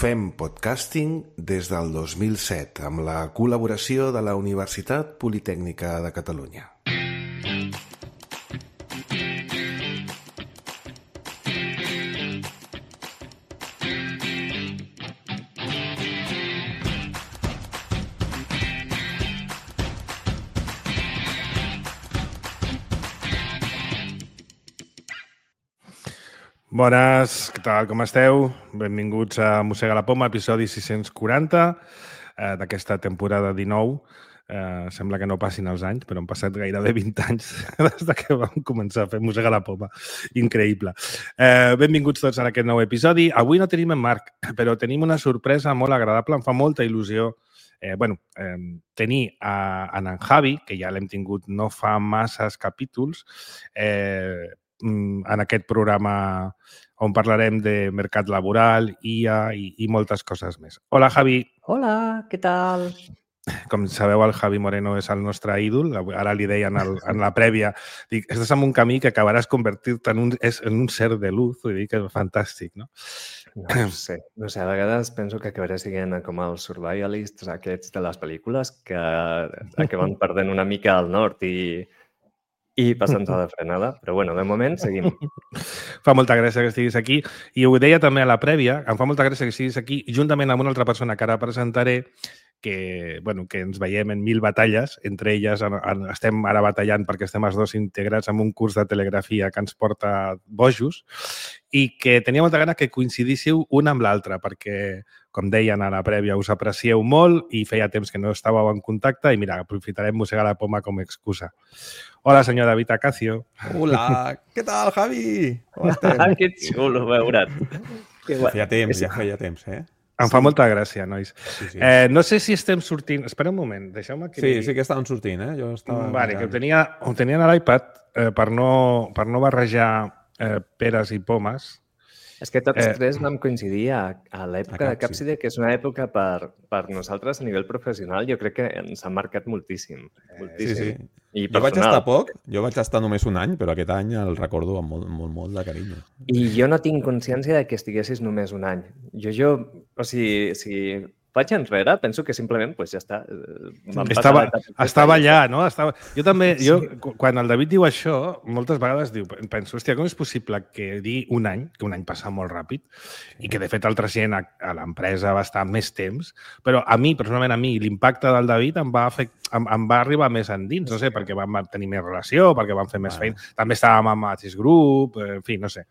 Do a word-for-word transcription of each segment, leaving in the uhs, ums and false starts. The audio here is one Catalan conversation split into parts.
Fem podcasting des del dos mil set amb la col·laboració de la Universitat Politècnica de Catalunya. Bones, què tal, com esteu? Benvinguts a Mossega la Poma, episodi sis-cents quaranta eh, d'aquesta temporada dinou. Eh, sembla que no passin els anys, però han passat gairebé vint anys des de que vam començar a fer Mossega la Poma. Increïble. Eh, benvinguts tots a aquest nou episodi. Avui no tenim en Marc, però tenim una sorpresa molt agradable. Em fa molta il·lusió eh, bueno, eh, tenir a, a en Javi, que ja l'hem tingut no fa masses capítols, eh, en aquest programa on parlarem de mercat laboral, I A i, i moltes coses més. Hola, Javi. Hola, què tal? Com sabeu, el Javi Moreno és el nostre ídol. Ara li deien el, en la prèvia, dic, estàs en un camí que acabaràs convertir-te en un, en un ser de luz. Vull dir que és fantàstic, no? No sé, no sé, a vegades penso que acabaré siguent com els survivalists aquests de les pel·lícules que acaben perdent una mica el nord i i passant-se de frenada, però bueno, de moment seguim. Fa molta gràcia que estiguis aquí i ho deia també a la prèvia, em fa molta gràcia que estiguis aquí juntament amb una altra persona que ara presentaré que, bueno, que ens veiem en mil batalles, entre elles en, en, estem ara batallant perquè estem els dos integrats en un curs de telegrafia que ens porta bojos i que tenia molta gana que coincidíssiu un amb l'altre perquè, com deien a la prèvia, us aprecieu molt i feia temps que no estàveu en contacte i mira, aprofitarem Mossegar la Poma com a excusa. Hola, senyor David Acacio. Hola, què tal, Javi? Com estem? Que xulo veure't. Ja feia temps, ja feia temps, eh? Em fa molta gràcia, nois. Sí, sí. Eh, no sé si estem sortint... Espera un moment, deixeu-me que... Sí, sí que estaven sortint, eh? Jo estava... Vale, que ho tenia, ho tenia a l'iPad eh, per, no, per no barrejar eh, peres i pomes. És que tots Eh, tres vam coincidir a, a l'època a de Capside, que és una època per, per nosaltres a nivell professional, jo crec que ens ha marcat moltíssim. moltíssim. Sí, sí. I Jo vaig personal. estar poc, jo vaig estar només un any, però aquest any el recordo amb molt, molt, molt de carinyo. I jo no tinc consciència de que estiguessis només un any. Jo, jo, o sigui, si vaig enrere, penso que simplement, pues ja està. Vam passar Estava, l'etapa estava aquesta i ja allà, no? Estava... Jo també, jo, Sí. quan el David diu això, moltes vegades diu, penso, hòstia, com és possible que dir un any, que un any passa molt ràpid, i que de fet altra gent a, a l'empresa va estar més temps, però a mi, personalment a mi, l'impacte del David em va, afect... em, em va arribar més endins, no sé, perquè vam tenir més relació, perquè vam fer més Bueno. feina. També estàvem amb Mateix Group, en fi, no sé.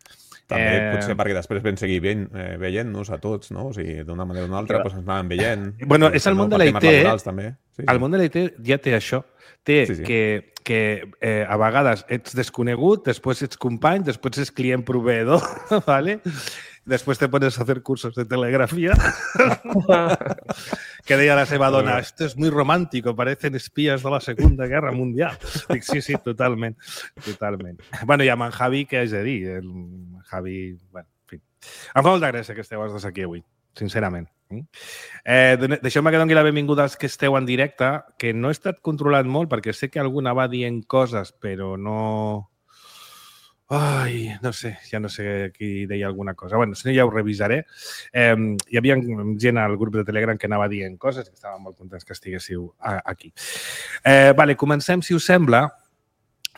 També Eh, potser perquè després vam seguir veient, eh, veient-nos a tots, no? O sigui, d'una manera o d'una altra, Clar. doncs ens anàvem veient. Bueno, I és el no, món de per la temes I T, laborals, també. Sí, sí. El món de la I T ja té això. Té Sí, sí. que, que eh, a vegades ets desconegut, després ets company, després ets client proveedor, ¿vale? Després te pones a hacer cursos de telegrafía. Que deia la seva dona, esto es muy romántico, parecen espías de la Segunda Guerra Mundial. Dic, sí, sí, totalment. Totalment. Bueno, i amb en Javi, què haig de dir? El Javi, bueno, en fi. Em fa molta gràcia que esteu els dos aquí avui, sincerament. Eh, Deixeu-me que doni la benvinguda als que esteu en directe, que no he estat controlant molt perquè sé que alguna va dient coses, però no... Ai, no sé, ja no sé qui deia alguna cosa. Bueno, si no ja ho revisaré. Eh, hi havia gent al grup de Telegram que anava dient coses i estàvem molt contents que estiguéssiu aquí. Eh, vale, comencem, si us sembla,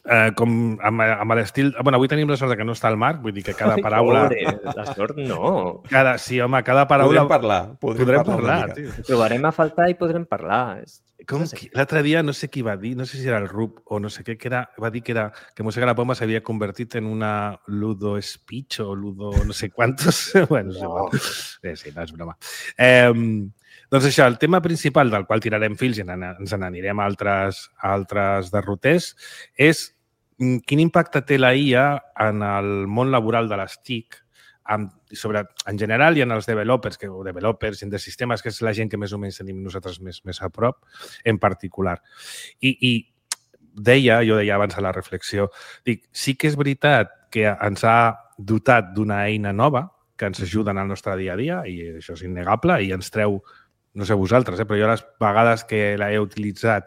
eh, com amb, amb l'estil... Bueno, avui tenim la sort que no està el Marc, vull dir que cada paraula... Pobre, la sort no. Cada, sí, home, cada paraula... Podrem parlar. Podrem, Podrem parlar, parlar, una mica. tio. Trobarem a faltar i podrem parlar. És- Com qui- L'altre dia, no sé qui va dir, no sé si era el Rup o no sé què, que era, va dir que era que Mossega la Poma s'havia convertit en una ludo speech o ludo no sé quantos. Bueno, no. Sí, sí, no és broma. Eh, doncs això, el tema principal del qual tirarem fils i ens n'anirem a altres, a altres derroters és mm, quin impacte té la I A en el món laboral de les T I C amb, sobre, en general i en els developers, que, o developers de sistemes, que és la gent que més o menys tenim nosaltres més, més a prop, en particular. I, i deia, jo deia abans a la reflexió, dic, sí que és veritat que ens ha dotat d'una eina nova que ens ajuda en el nostre dia a dia, i això és innegable, i ens treu, no sé vosaltres, eh, però jo les vegades que l'he utilitzat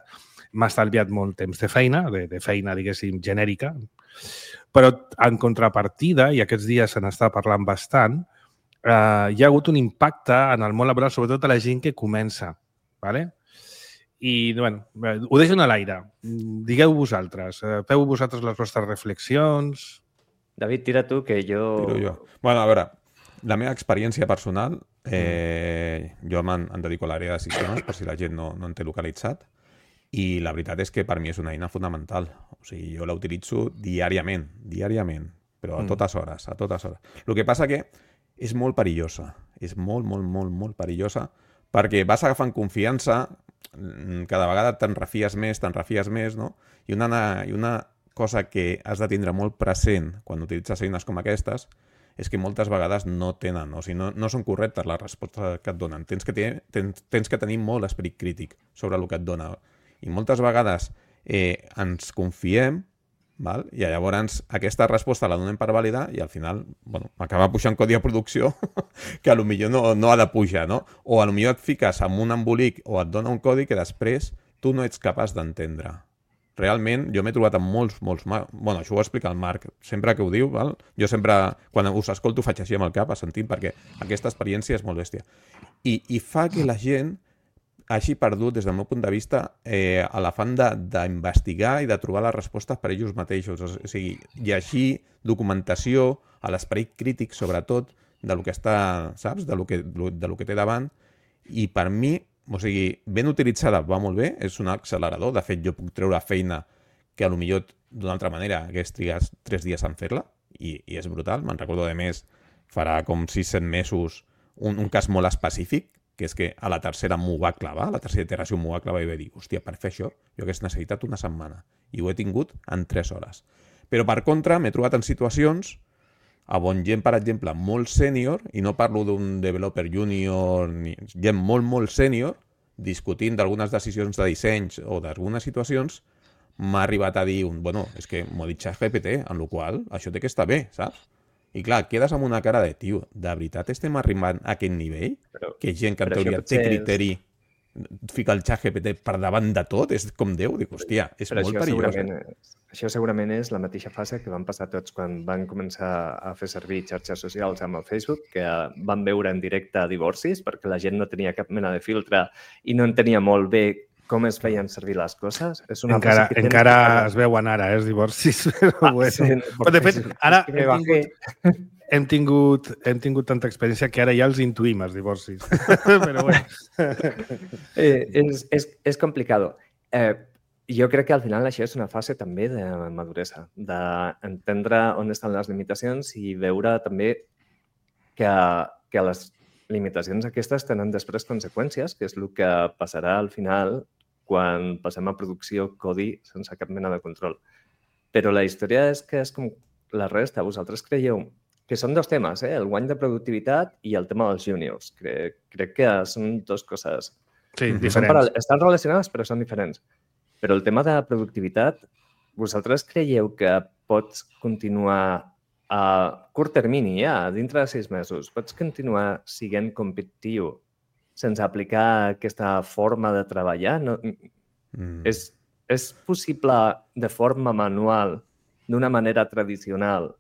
m'ha estalviat molt temps de feina, de, de feina, diguéssim, genèrica, però en contrapartida, i aquests dies se n'està parlant bastant, uh, hi ha hagut un impacte en el món laboral, sobretot a la gent que comença. ¿Vale? I, bueno, ho deixo a l'aire. Digueu vosaltres. Feu vosaltres les vostres reflexions. David, tira tu, que jo... Tiro jo. Bueno, a veure, la meva experiència personal, eh, jo em dedico a l'àrea de sistemes, per si la gent no, no en té localitzat, i la veritat és que per mi és una eina fonamental. O sigui, jo la utilitzo diàriament, diàriament, però a totes hores, a totes hores. El que passa que és molt perillosa, és molt, molt, molt, molt perillosa, perquè vas agafant confiança, cada vegada te'n refies més, te'n refies més, no? I una, i una cosa que has de tindre molt present quan utilitzes eines com aquestes és que moltes vegades no tenen, o sigui, no, no són correctes les respostes que et donen. Tens que, tenir, tens, tens que tenir molt esperit crític sobre el que et dona. I moltes vegades eh, ens confiem, val? I llavors aquesta resposta la donem per validar i al final bueno, acaba pujant codi a producció que a lo millor no, no ha de pujar, no? O a lo millor et fiques amb un embolic o et dona un codi que després tu no ets capaç d'entendre. Realment, jo m'he trobat amb molts, molts... Bueno, això ho explica el Marc, sempre que ho diu, val? Jo sempre, quan us escolto, faig així amb el cap, assentint, perquè aquesta experiència és molt bèstia. I, i fa que la gent hagi perdut, des del meu punt de vista, eh, a l'afant d'investigar i de trobar les respostes per ells mateixos. O sigui, llegir documentació, a l'esperit crític, sobretot, de lo que està, saps? De lo que, de lo que té davant. I per mi, o sigui, ben utilitzada va molt bé, és un accelerador. De fet, jo puc treure feina que a lo millor d'una altra manera hagués trigat tres dies en fer-la i, i és brutal. Me'n recordo, de més, farà com sis set mesos un, un cas molt específic, que és que a la tercera m'ho va clavar, a la tercera iteració m'ho va clavar i vaig dir, hòstia, per fer això jo hagués necessitat una setmana i ho he tingut en tres hores. Però per contra m'he trobat en situacions on gent, per exemple, molt sènior, i no parlo d'un developer junior, ni gent molt, molt sènior, discutint d'algunes decisions de dissenys o d'algunes situacions, m'ha arribat a dir, un, bueno, és que m'ho ha dit ChatGPT, en la qual això té que estar bé, saps? I clar, quedes amb una cara de, tio, de veritat estem arribant a aquest nivell? Però, que gent que en teoria té criteri és... fica el ChatGPT per davant de tot, és com Déu, dic, hòstia, és però molt perillós. És, això segurament és la mateixa fase que van passar tots quan van començar a fer servir xarxes socials amb el Facebook, que van veure en directe divorcis, perquè la gent no tenia cap mena de filtre i no entenia molt bé com es feien servir les coses. És una encara que encara que... es veuen ara, eh, els divorcis. Però, ah, bueno. Sí, però de fet, ara hem tingut, hem, tingut, hem tingut tanta experiència que ara ja els intuïm, els divorcis. Però bueno. eh, és, és, és complicado. Eh, jo crec que al final això és una fase també de maduresa, d'entendre on estan les limitacions i veure també que, que les limitacions aquestes tenen després conseqüències, que és el que passarà al final quan passem a producció codi sense cap mena de control. Però la història és que és com la resta. Vosaltres creieu que són dos temes, eh? El guany de productivitat i el tema dels juniors. Crec, crec que són dues coses. Sí, diferents. Paral- estan relacionades, però són diferents. Però el tema de productivitat, vosaltres creieu que pots continuar a curt termini, ja, dintre de sis mesos, pots continuar sent competitiu sense aplicar aquesta forma de treballar? No, mm. és, és possible de forma manual, d'una manera tradicional,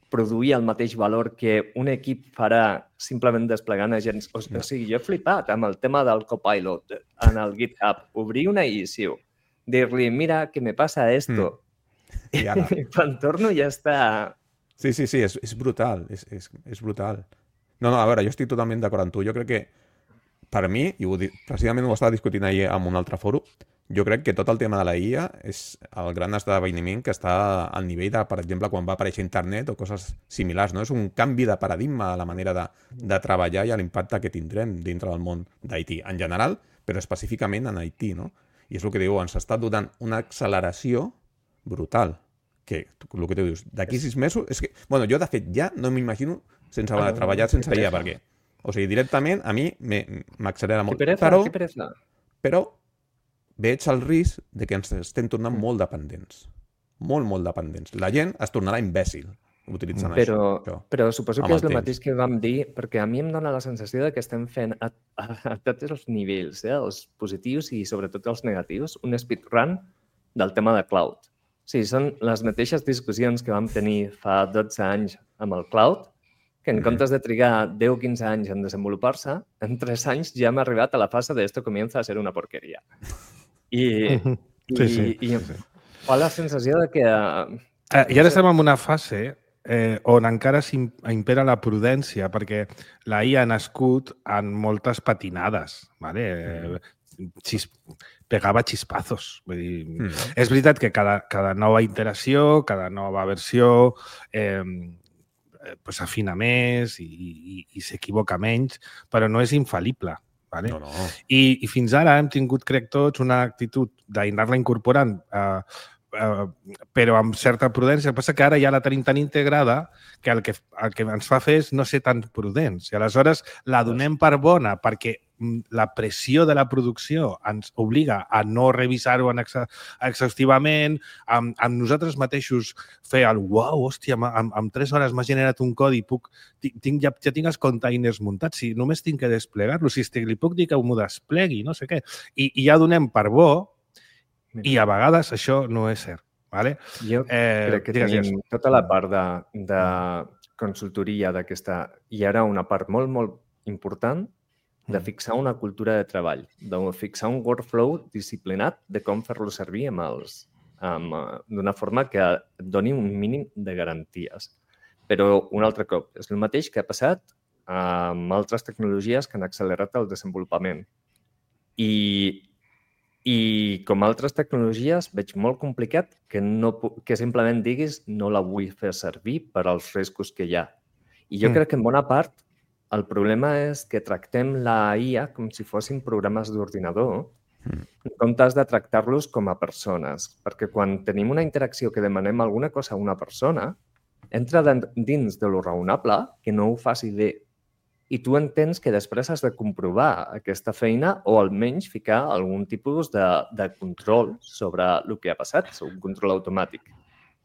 produir el mateix valor que un equip farà simplement desplegant agents? O, o sigui, jo he flipat amb el tema del Copilot en el GitHub. Obrir una issue, dir-li, mira, que me passa esto. Mm. I ara? I quan torno ja està... Sí, sí, sí, és, és brutal, és, és, és brutal. No, no, a veure, jo estic totalment d'acord amb tu. Jo crec que, per mi, i ho, precisament ho estava discutint ahir en un altre fòrum, jo crec que tot el tema de la I A és el gran esdeveniment que està al nivell de, per exemple, quan va aparèixer internet o coses similars, no? És un canvi de paradigma a la manera de, de treballar i a l'impacte que tindrem dintre del món d'I T en general, però específicament en I T, no? I és el que diu, ens està donant una acceleració brutal. Que, el que tu dius, d'aquí sis mesos... És que, bueno, jo, de fet, ja no m'imagino sense ah, treballar sense I A, perquè, o sigui, directament a mi m'accelera molt. Pereza, però, pereza. però veig el risc de que ens estem tornant molt dependents. Molt, molt dependents. La gent es tornarà imbècil utilitzant però, això, això. Però suposo que és el temps. Mateix que vam dir, perquè a mi em dona la sensació de que estem fent a, a, a tots els nivells, eh, els positius i sobretot els negatius, un speedrun del tema de cloud. Sí, són les mateixes discussions que vam tenir fa dotze anys amb el cloud, que en comptes de trigar deu o quinze anys en desenvolupar-se, en tres anys ja hem arribat a la fase de esto comienza a ser una porqueria. I, sí, sí, i, i sí. fa la sensació de que... Eh, I ara estem en una fase eh, on encara impera la prudència, perquè la I A ha nascut en moltes patinades, ¿vale? Mm. Xis, pegava xispazos. Vull dir, mm. És veritat que cada, cada nova iteració, cada nova versió eh, pues afina més i, i, i s'equivoca menys, però no és infal·lible. Vale? No, no. I, I fins ara hem tingut, crec tots, una actitud d'anar-la incorporant eh, Uh, però amb certa prudència. El que passa que ara ja la tenim tan integrada que el que, el que ens fa fer és no ser tan prudents. I aleshores la donem per bona perquè la pressió de la producció ens obliga a no revisar-ho exa exhaustivament, amb, amb nosaltres mateixos fer el uau, hòstia, amb, amb tres hores m'ha generat un codi, puc, tinc, ja, ja tinc els containers muntats, si només tinc que desplegar-lo, si estic, li puc dir que m'ho desplegui, no sé què. I, i ja donem per bo. I a vegades això no és cert. Vale? Jo eh, crec que digues, tenim digues. tota la part de, de consultoria d'aquesta, i ara una part molt, molt important de fixar una cultura de treball, de fixar un workflow disciplinat de com fer-lo servir amb els, amb, d'una forma que doni un mínim de garanties. Però un altre cop, és el mateix que ha passat amb altres tecnologies que han accelerat el desenvolupament. I I com altres tecnologies veig molt complicat que, no, que simplement diguis no la vull fer servir per als riscos que hi ha. I jo mm. crec que en bona part el problema és que tractem la I A com si fossin programes d'ordinador mm. en comptes de tractar-los com a persones. Perquè quan tenim una interacció que demanem alguna cosa a una persona, entra dins de lo raonable que no ho faci bé. I tu entens que després has de comprovar aquesta feina o almenys ficar algun tipus de, de control sobre el que ha passat, un control automàtic.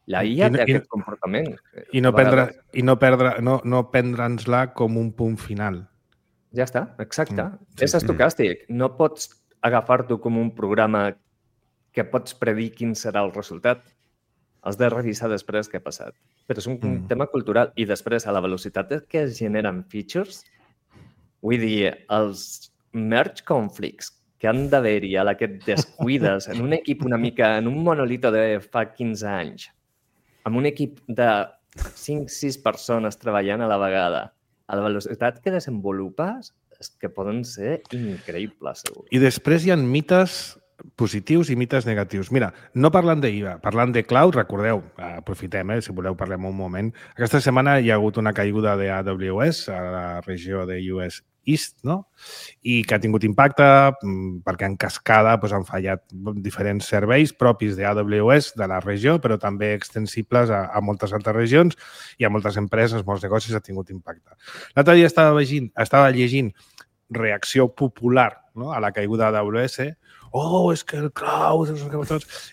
La I A I no, té aquest i, comportament. I no, prendre, i no, perdre, no, no prendre'ns-la com un punt final. Ja està, exacte. Mm, sí, és estocàstic. Mm. No pots agafar-t'ho com un programa que pots predir quin serà el resultat. Has de revisar després què ha passat. Però és un mm. tema cultural. I després, a la velocitat que es generen features, vull dir, els merge conflicts que han d'haver-hi a la que et descuides en un equip una mica, en un monolito de fa quinze anys, amb un equip de cinc sis persones treballant a la vegada, a la velocitat que desenvolupes, és que poden ser increïbles, segur. I després hi ha mites positius i mites negatius. Mira, no parlant d'I A, parlant de cloud, recordeu, aprofitem, eh, si voleu parlem un moment. Aquesta setmana hi ha hagut una caiguda de A W S a la regió de U S East, no? I que ha tingut impacte perquè en cascada doncs, han fallat diferents serveis propis de A W S de la regió, però també extensibles a, a moltes altres regions i a moltes empreses, molts negocis ha tingut impacte. L'altre dia estava llegint, estava llegint reacció popular, no?, a la caiguda d'A W S. Oh, és que el cloud...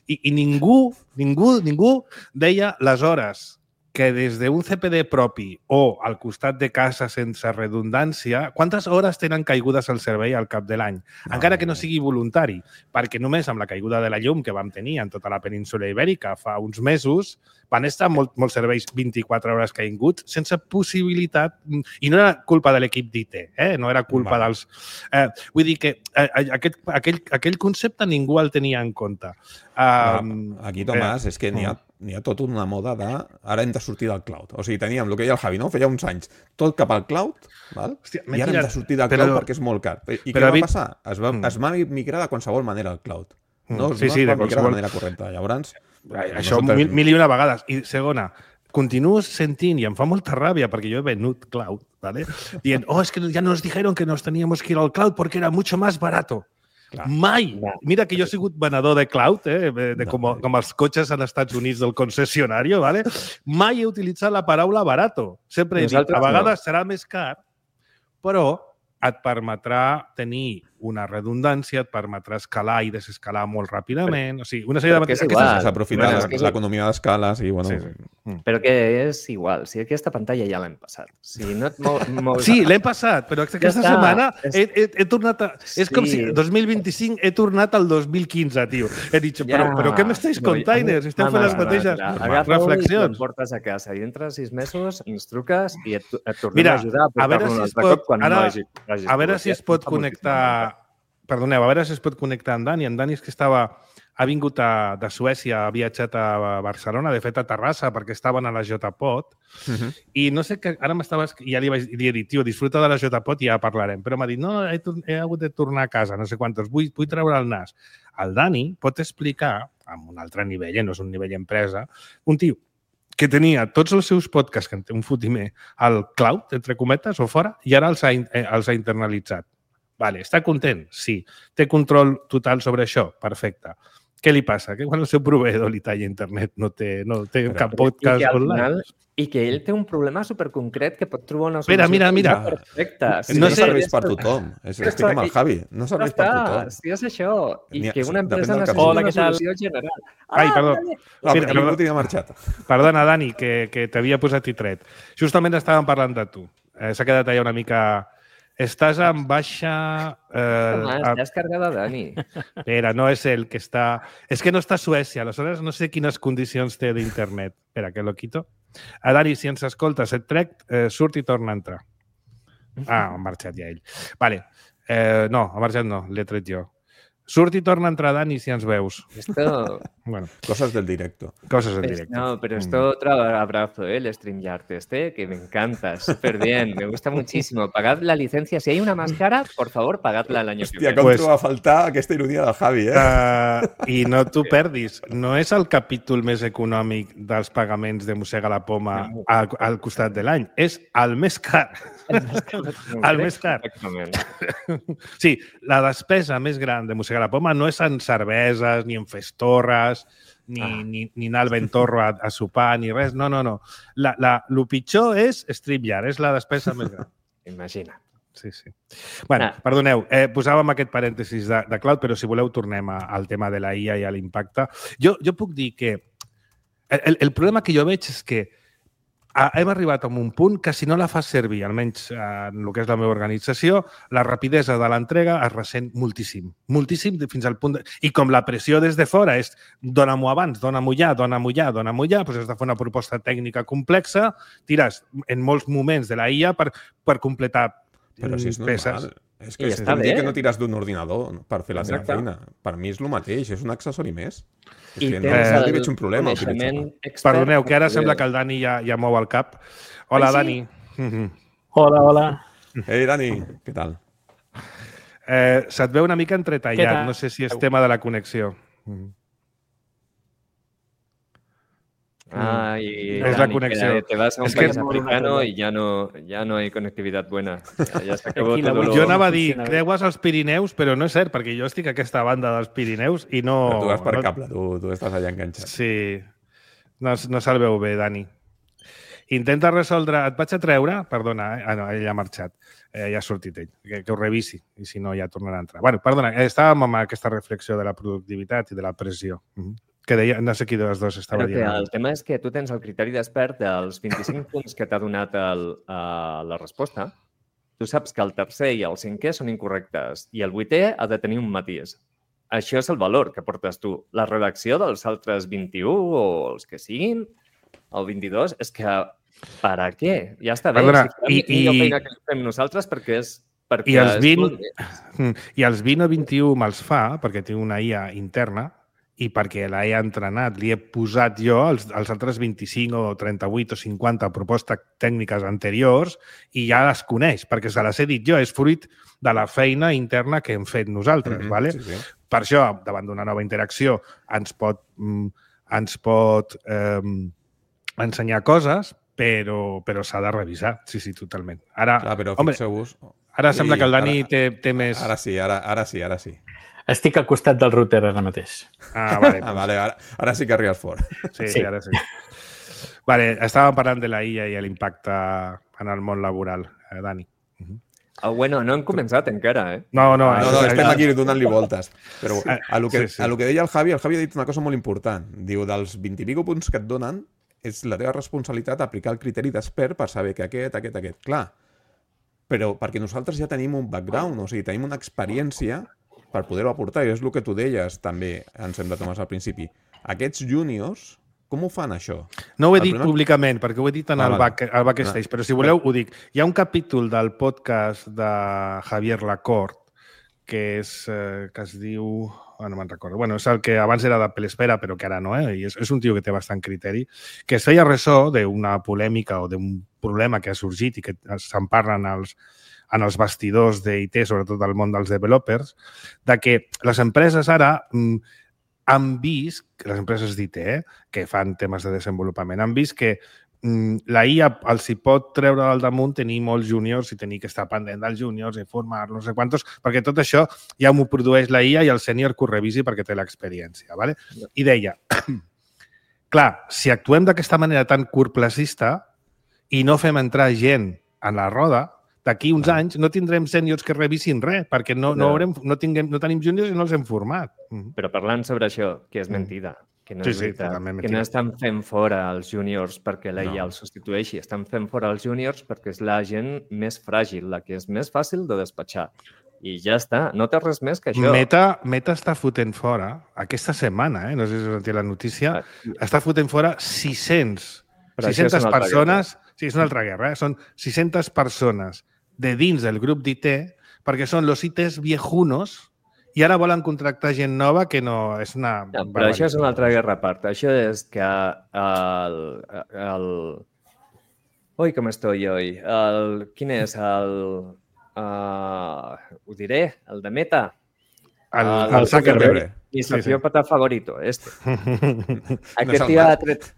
I, i ningú, ningú, ningú deia les hores que des d'un C P D propi o al costat de casa sense redundància, quantes hores tenen caigudes al servei al cap de l'any? No. Encara que no sigui voluntari, perquè només amb la caiguda de la llum que vam tenir en tota la península ibèrica fa uns mesos, van estar molt, molts serveis vint-i-quatre hores caiguts sense possibilitat, i no era culpa de l'equip d'I T, eh? No era culpa Va. dels... Eh, vull dir que eh, aquest, aquell, aquell concepte ningú el tenia en compte. Um, Aquí, Tomàs, eh, és que n'hi ha, n'hi ha tot una moda de... Ara hem de sortir del cloud. O sigui, teníem el que deia el Javi, no? Feia uns anys, tot cap al cloud, val? Hòstia, i ara hem de sortir del però, cloud perquè és molt car. I què va passar? Es va, mm. es va migrar de qualsevol manera al cloud. No, sí, no sí, es va de migrar qualsevol... de manera correcta. Llavors... Això no mil, mil i una vegades. I segona, continuo sentint, i em fa molta ràbia, perquè jo he venut cloud, ¿vale? Dient, oh, es que ya nos dijeron que nos teníamos que ir al cloud porque era mucho más barato. Clar. Mai! Mira que jo he sigut venedor de cloud, eh, de com, com els cotxes als Estats Units del concessionari, ¿vale? Mai he utilitzat la paraula barato. Sempre he dit, a vegades no. serà més car, però et permetrà tenir una redundància, et permetrà escalar i desescalar molt ràpidament. O sigui, una sèrie Però de... que és Aquestes- igual. S'aprofita Bueno, la- és que és- l'economia d'escala, sí, bueno... Sí, sí. Però que és igual, si aquesta pantalla ja l'hem passat. Si no et mou, mous... Sí, l'hem passat, però aquesta està. setmana És- he, he, he tornat a... És com si Sí. dos mil vint-i-cinc he tornat al dos mil quinze, tio. He dit, però, però què m'estáis No, containers? Esteu fent les mateixes Agafa-ho i reflexions. te'n portes a casa i dintre de sis mesos ens truques i et, et tornem Mira, a ajudar a a veure portar-lo si un es altre pot- cop quan ara- no hagi, hagis A veure pogut. si Ja es pot està moltíssim connectar... Perdoneu, a veure si es pot connectar amb Dani. En Dani és que estava... Ha vingut a, de Suècia, ha viatjat a Barcelona, de fet a Terrassa, perquè estaven a la J-Pod, Uh -huh. i no sé que ara m'estava... I ja li, vaig, li he dit, tio, disfruta de la J-Pod i ja parlarem. Però m'ha dit, no, he, tor- he hagut de tornar a casa, no sé quantos, vull, vull treure el nas. El Dani pot explicar, amb un altre nivell, eh, no és un nivell empresa, un tio que tenia tots els seus podcasts, que en té un fotimer, al cloud, entre cometes, o fora, i ara els ha, in- eh, els ha internalitzat. Vale, està content? Sí. Té control total sobre això? Perfecte. Què li passa? Que quan el seu proveïdor li talla internet no té, no té Però- cap I podcast que, al online? final, I que ell té un problema superconcret que pot trobar una Espera, solució mira, mira. perfecta. És que No no, sé- serveix per tothom. És, Ja estic amb està, el i- Javi. No Ja serveix per està, tothom. si és això. I N'hi ha- que una depèn empresa del necessita capítol. una Hola, què tal? solució general. Ai, Ah, perdó. vale. No, Mira, perquè perdó. ningú tenia marxat. Perdona, Dani, que, que t'havia posat i tret. Justament estàvem parlant de tu. Eh, S'ha quedat allà una mica... Estàs en baixa... Eh, Home, a- estàs cargada, Dani. Espera, no és el que està... És que no està a Suècia, aleshores no sé quines condicions té d'internet. Espera, que lo quito. A Dani, si ens escoltes, et trec, eh, surt i torna a entrar. Ah, ha marxat ja ell. Vale. Eh, no, ha marxat no, l'he tret jo. Surt i torna a entrar, Dani, si ens veus. Esto, Bueno, Coses del directo. coses en es- directe. no, pero esto otro abrazo, ¿eh? El StreamYard este, que me encanta, súper bien, me gusta muchísimo. Pagad la licencia. Si hay una más cara, por favor, pagadla el año que Hòstia, viene. com Pues- troba a faltar aquesta ironia del Javi, eh? Uh, I no t'ho perdis. No és el capítol més econòmic dels pagaments de Mossega la Poma al, al costat de l'any. És el més car. El més car. Exactament. Sí, la despesa més gran de Mossega la Poma no és en cerveses, ni en festorres, ni, Ah. ni, ni anar al Ventorro a, a sopar, ni res. No, no, no. La, la, lo pitjor és StreamYard, és la despesa més gran. Imagina. Sí, sí. Bueno, Ah. perdoneu, eh, posàvem aquest parèntesis de, de cloud, però si voleu tornem a, al tema de la I A i a l'impacte. Jo, jo puc dir que el, el problema que jo veig és que a, hem arribat a un punt que si no la fas servir, almenys eh, en el que és la meva organització, la rapidesa de l'entrega es ressent moltíssim. Moltíssim de- fins al punt... De... I com la pressió des de fora és dona-m'ho abans, dona-m'ho ja, dona-m'ho ja, dona-m'ho ja, doncs has de fer una proposta tècnica complexa, tires en molts moments de la I A per, per completar Però si és peces. normal. És que I és està com dir bé. que no tires d'un ordinador per fer la teva Exacte. feina. Per mi és el mateix, és un accessori més. És I que no, tens no el li veig un problema a coneixement utilitzar-lo. expert Perdoneu, que ara per sembla poder- que el Dani ja, ja mou el cap. Hola, Ai, sí? Dani. Mhm. Hola, hola. Ei, Dani, què tal? Eh, se't veu una mica Què entretallat. tal? No sé si és tema de la connexió. Mhm. Ah, y Es la Dani, conexión. que te vas a un Es que- país africano y ya no, ya no hay conectividad buena. Ya, ya se acabó Aquí la todo voy- lo... Jo anava a dir, funciona bé. creues els Pirineus, però no és cert, perquè jo estic a aquesta banda dels Pirineus i no... Però tu vas per no, cable, tu, tu estàs allà enganxat. Sí, no, no se'l veu bé, Dani. Intenta resoldre... Et vaig a treure... Perdona, eh? Ah, no, ell ja ha marxat. Eh, ja ha sortit ell. Que, que ho revisi, i si no ja tornarà a entrar. Bueno, perdona, eh, estàvem amb aquesta reflexió de la productivitat i de la pressió. Mhm. Que deia, no sé qui de les dos estava Però que dient. el tema és que tu tens el criteri d'expert dels vint-i-cinc punts que t'ha donat el, uh, la resposta. Tu saps que el tercer i el cinquè són incorrectes i el vuitè ha de tenir un matís. Això és el valor que portes tu. La redacció dels altres vint-i-u o els que siguin, el vint-i-dos, és que per a què? Ja està bé. Perdona, si i- fem millor i- feina que fem nosaltres perquè és... Perquè I els és vint- molt bé. Mm. I els vint o vint-i-u me'ls fa perquè tinc una I A interna i perquè la he entrenat, li he posat jo els, els altres vint-i-cinc o trenta-vuit o cinquanta propostes tècniques anteriors i ja les coneix, perquè se les he dit jo. És fruit de la feina interna que hem fet nosaltres. Mhm, vale? sí, sí. Per això, davant d'una nova interacció, ens pot, mm, ens pot eh, ensenyar coses, però, però s'ha de revisar. Sí, sí, totalment. Ara, Clar, però home, fixeu-vos... ara sembla que el Dani ara- té, té més... Ara sí, ara, ara sí, ara sí. Estic al costat del router ara mateix. Ah, vale. Ah, vale, ara, ara sí que arribes fort. Sí, sí, Sí. ara sí. Vale, estàvem parlant de la I A i l'impacte en el món laboral, eh, Dani. Oh, bueno, no hem començat encara, eh? No, no, No, no, estem aquí donant-li voltes. Però a lo, que, Sí, sí. a lo que deia el Javi, el Javi ha dit una cosa molt important. Diu, dels vint i pico punts que et donen, és la teva responsabilitat aplicar el criteri d'expert per saber que aquest, aquest, aquest. Clar, però perquè nosaltres ja tenim un background, o sigui, tenim una experiència per poder-ho aportar, i és el que tu deies també, em sembla, Tomàs, al principi. Aquests juniors, com ho fan, això? No ho he El dit problema- públicament, perquè ho he dit en Ah, el, vale. back, el backstage, Ah, però si voleu ho dic. Hi ha un capítol del podcast de Javier Lacorte que, és, eh, que es diu... Oh, no me'n recordo. Bueno, és el que abans era de Pelespera, però que ara no, eh? I és, és un tio que té bastant criteri, que es feia ressò d'una polèmica o d'un problema que ha sorgit i que se'n parlen els, en els bastidors d'I T, sobretot del món dels developers, de que les empreses ara mm, han vist, les empreses d'I T, eh, que fan temes de desenvolupament, han vist que mm, la I A els hi pot treure al damunt tenir molts júniors i tenir que estar pendent dels júniors, informar, no sé quantos, perquè tot això ja m'ho produeix la I A i el sènior que ho revisi perquè té l'experiència. ¿Vale? I deia, clar, si actuem d'aquesta manera tan curtplacista i no fem entrar gent en la roda, d'aquí uns anys no tindrem sèniors que revisin res, perquè no, no, haurem, no, tinguem, no tenim júniors i no els hem format. Mm. Però parlant sobre això, que és mentida, que no Sí, és sí, veritat, totalment que mentida. no estan fent fora els júniors perquè la I A No. els substitueixi, estan fent fora els júniors perquè és la gent més fràgil, la que és més fàcil de despatxar. I ja està, no té res més que això. Meta, Meta està fotent fora, aquesta setmana, eh, no sé si us sentit la notícia, Ah, està fotent fora sis cents, Però això és sis centes una altra persones, sí, és una altra guerra, eh? Són sis centes persones de dins del grup d'I T, perquè són los I Ts viejunos i ara volen contractar gent nova que no és una... No, però això és una altra guerra a part. Això és que el... el... Ui, com estoy hoy? El... Quin és? El... Uh, ho diré, el de Meta. El, el el Zuckerberg. Mi Sí, sí. sociópata favorito, este. No Aquest es tío el ha Musk. tret-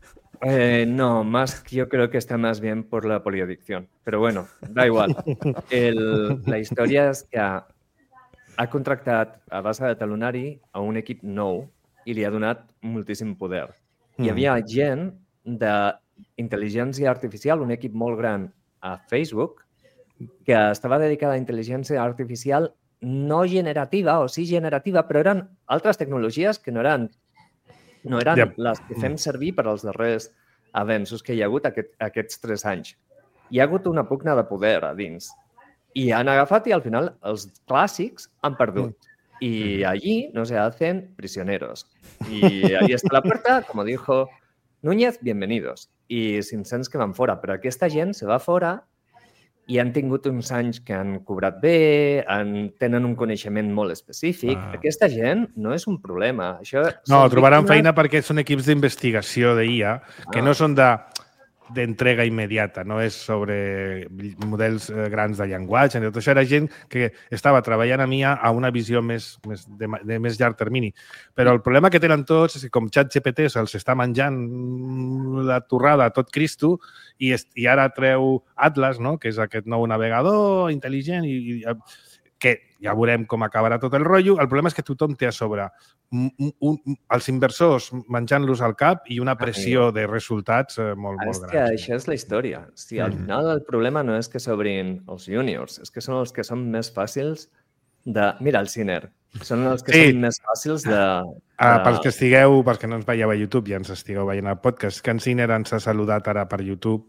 Eh, no, más yo creo que está más bien por la poliadicción. Pero bueno, da igual. El, la història és que ha, ha contractat a base de talonari a un equip nou i li ha donat moltíssim poder. Hi havia gent d'intel·ligència artificial, un equip molt gran a Facebook, que estava dedicada a intel·ligència artificial no generativa, o sí generativa, però eren altres tecnologies que no eren, no eren Yep. les que fem servir per als darrers avenços que hi ha hagut aquest, aquests tres anys. Hi ha hagut una pugna de poder a dins. I han agafat i al final els clàssics han perdut. Y allí nos se hacen prisioneros. Y ahí está la puerta, como dijo Núñez, bienvenidos. I cinc-cents que van fora. Però aquesta gent se va fora i han tingut uns anys que han cobrat bé, han, tenen un coneixement molt específic. Ah. Aquesta gent no és un problema. Això No, són trobaran víctimes- feina perquè són equips d'investigació d'I A que Ah. no són de d'entrega immediata, no és sobre models eh, grans de llenguatge, ni tot això era gent que estava treballant amb I A a una visió més, més de, ma- de més llarg termini. Però el problema que tenen tots és que com ChatGPT se'ls està menjant la torrada a tot Cristo i, est, i ara treu Atlas, no? Que és aquest nou navegador intel·ligent i, i que ja veurem com acabarà tot el rotllo. El problema és que tothom té a sobre un, un, un, els inversors menjant-los al cap i una pressió de resultats eh, molt, Ah, molt és que grans. això és la història. Si al final el problema no és que s'obrin els juniors, és que són els que són més fàcils de... Mira, el Ciner. Són els que Sí. són més fàcils de... Ah, de- pels que estigueu, pels que no ens veieu a YouTube i ens estigueu veient el podcast, que en Ciner ens ha saludat ara per YouTube,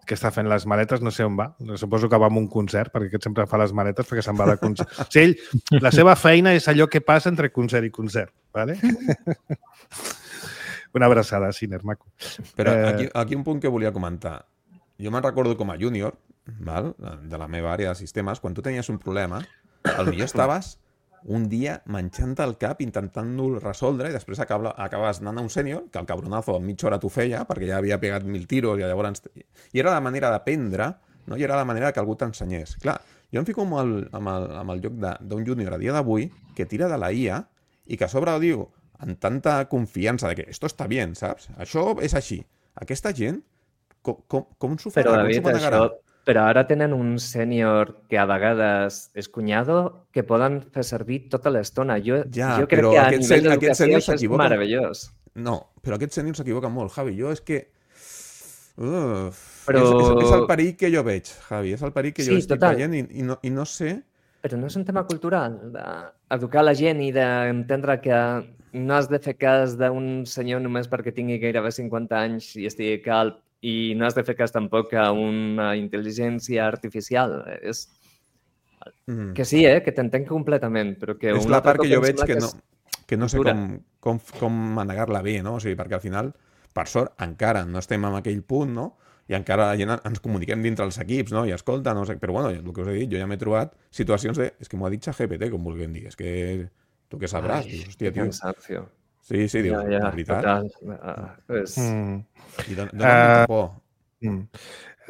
que està fent les maletes, no sé on va. Suposo que va a un concert, perquè aquest sempre fa les maletes perquè se'n va de concert. O sigui, ell, la seva feina és allò que passa entre concert i concert. ¿Vale? Una abraçada, Ciner, maco. Però Eh, aquí, aquí un punt que volia comentar. Jo me'n recordo com a júnior, val? De la meva àrea de sistemes, quan tu tenies un problema, potser estaves un dia menjant el cap intentant-lo resoldre i després acaba, acabes anant a un sènior, que el cabronazo en mitja hora t'ho feia, perquè ja havia pegat mil tiros i llavors... I era la manera d'aprendre, no? I era la manera que algú t'ensenyés. Clar, jo em fico amb el, amb el, amb el lloc de- d'un júnior a dia d'avui que tira de la I A i que a sobre ho diu amb tanta confiança de que esto està bien, saps? Això és així. Aquesta gent, com, com, com s'ho farà? Però, Com David, s'ho manegarà? això... Però ara tenen un sènior que a vegades és cunyado que poden fer servir tota l'estona. Jo, Ja, jo crec però que a aquest nivell sen- aquest d'educació sènior això és s'equivoca. meravellós. No, però aquest sènior s'equivoca molt, Javi. Jo és que Uf, Però- és, és, és el perill que jo veig, Javi, és el perill que jo Sí, estic total. veient i, i, no, i no sé... Però no és un tema cultural, d'educar la gent i d'entendre que no has de fer cas d'un senyor només perquè tingui gairebé cinquanta anys i estigui calb, i no has de fer cas tampoc a una intel·ligència artificial. És... Mm. Que sí, eh? Que t'entenc completament, però que... És un la altre part cop que jo em veig sembla que no, que no sé cultura. com, com, com manegar-la bé, no? O sigui, perquè al final, per sort, encara no estem en aquell punt, no? I encara la gent ens comuniquem dintre els equips, no? I escolta, no sé... Però bueno, el que us he dit, jo ja m'he trobat situacions de... És que m'ho ha dit ChatGPT, com vulguem dir. És que tu què sabràs? Ai, Dius, hòstia, que tio. cansancio. Sí, sí, dius, Ja, ja, la veritat. total. Uh, és... Mm. I don, dona uh, molta por. Mm.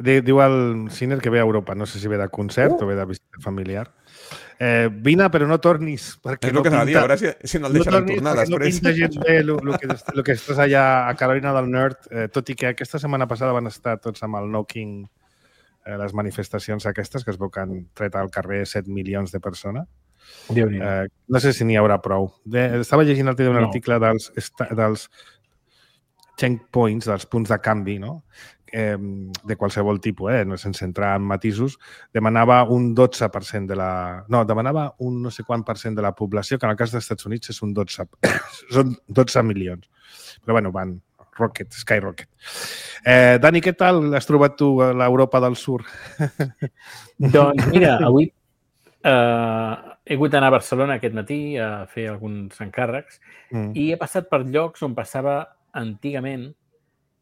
Di- Diu el Sinner que ve a Europa, no sé si ve de concert uh. o ve de visita familiar. Eh, vine, però no tornis. Perquè És el no que s'ha de dir, a pinta- veure si, si no el No deixaran tornis tornar perquè no després. pinta gens bé el, el, que, el que estàs allà a Carolina del Nord, eh, tot i que aquesta setmana passada van estar tots amb el No King, eh, les manifestacions aquestes, que es veu que han tret al carrer set milions de persones. Déu-n'hi-do. Eh, no sé si n'hi haurà prou. De, estava llegint l'altre dia un No. article dels, esta- dels checkpoints, dels punts de canvi, no? Eh, de qualsevol tipus, eh? no sense entrar en matisos, demanava un dotze per cent de la... No, demanava un no sé quant per cent de la població, que en el cas dels Estats Units és un dotze. Són dotze milions. Però bueno, van rocket, skyrocket. Eh, Dani, què tal has trobat tu a l'Europa del Sur? Doncs mira, avui eh, he hagut d'anar a Barcelona aquest matí a fer alguns encàrrecs Mm. i he passat per llocs on passava antigament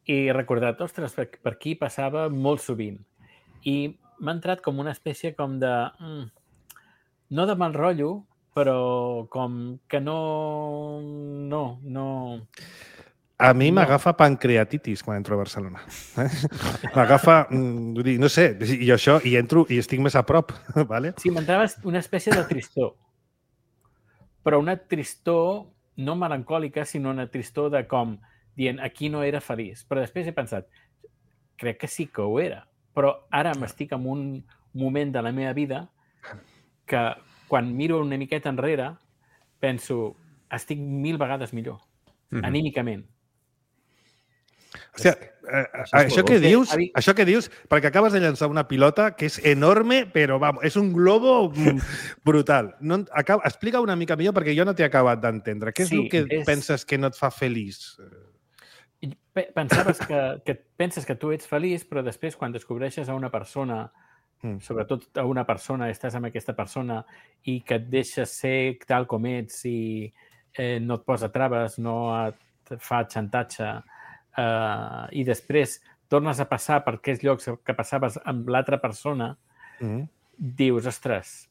i he recordat, ostres, per, per aquí passava molt sovint. I m'ha entrat com una espècie com de... Mm, no de mal rotllo, però com que no... No, no... A mi No. m'agafa pancreatitis quan entro a Barcelona. Eh? M'agafa, mm, vull dir, no sé, i això, i entro i estic més a prop, ¿vale? Sí, m'entrava una espècie de tristor. Però una tristor no melancòlica, sinó una tristor de com dient aquí no era feliç. Però després he pensat, crec que sí que ho era. Però ara m'estic en un moment de la meva vida que quan miro una miqueta enrere penso, estic mil vegades millor, Mhm. anímicament. Hòstia, eh, és això molt que bo. dius, Avi- això que dius, perquè acabes de llançar una pilota que és enorme, però vamos, és un globo mm, brutal. No, acaba, explica una mica millor perquè jo no t'he acabat d'entendre. Què és Sí, el que és- penses que no et fa feliç? I pe- pensaves que, que penses que tu ets feliç, però després quan descobreixes a una persona, Mm. sobretot a una persona, estàs amb aquesta persona i que et deixes ser tal com ets i eh, no et posa traves, no et fa xantatge eh, i després tornes a passar per aquells llocs que passaves amb l'altra persona, Mm. dius, ostres,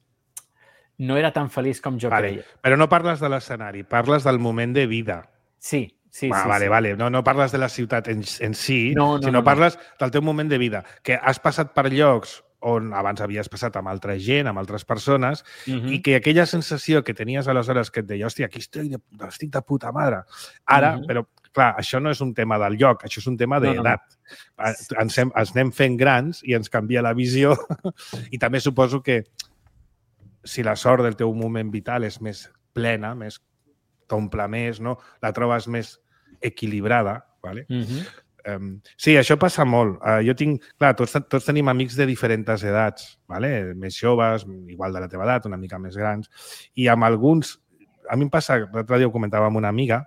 no era tan feliç com jo Vale. creia. Però no parles de l'escenari, parles del moment de vida. Sí, sí, Va, sí. vale, sí. vale. No, no parles de la ciutat en, en si, No, no, sinó no, no. parles del teu moment de vida, que has passat per llocs on abans havies passat amb altra gent, amb altres persones, Mhm. i que aquella sensació que tenies aleshores que et deia, hòstia, aquí estic de, estic de puta mare. Ara, Mhm. però clar, això no és un tema del lloc, això és un tema No, no, no. d'edat. Ens, hem, ens anem fent grans i ens canvia la visió i també suposo que si la sort del teu moment vital és més plena, més t'omple més, no? La trobes més equilibrada, ¿vale? Mhm. Um, sí, això passa molt. Uh, jo tinc, clar, tots, tots tenim amics de diferents edats, ¿vale? Més joves, igual de la teva edat, una mica més grans, i amb alguns, a mi em passa, l'altre dia ho comentava amb una amiga,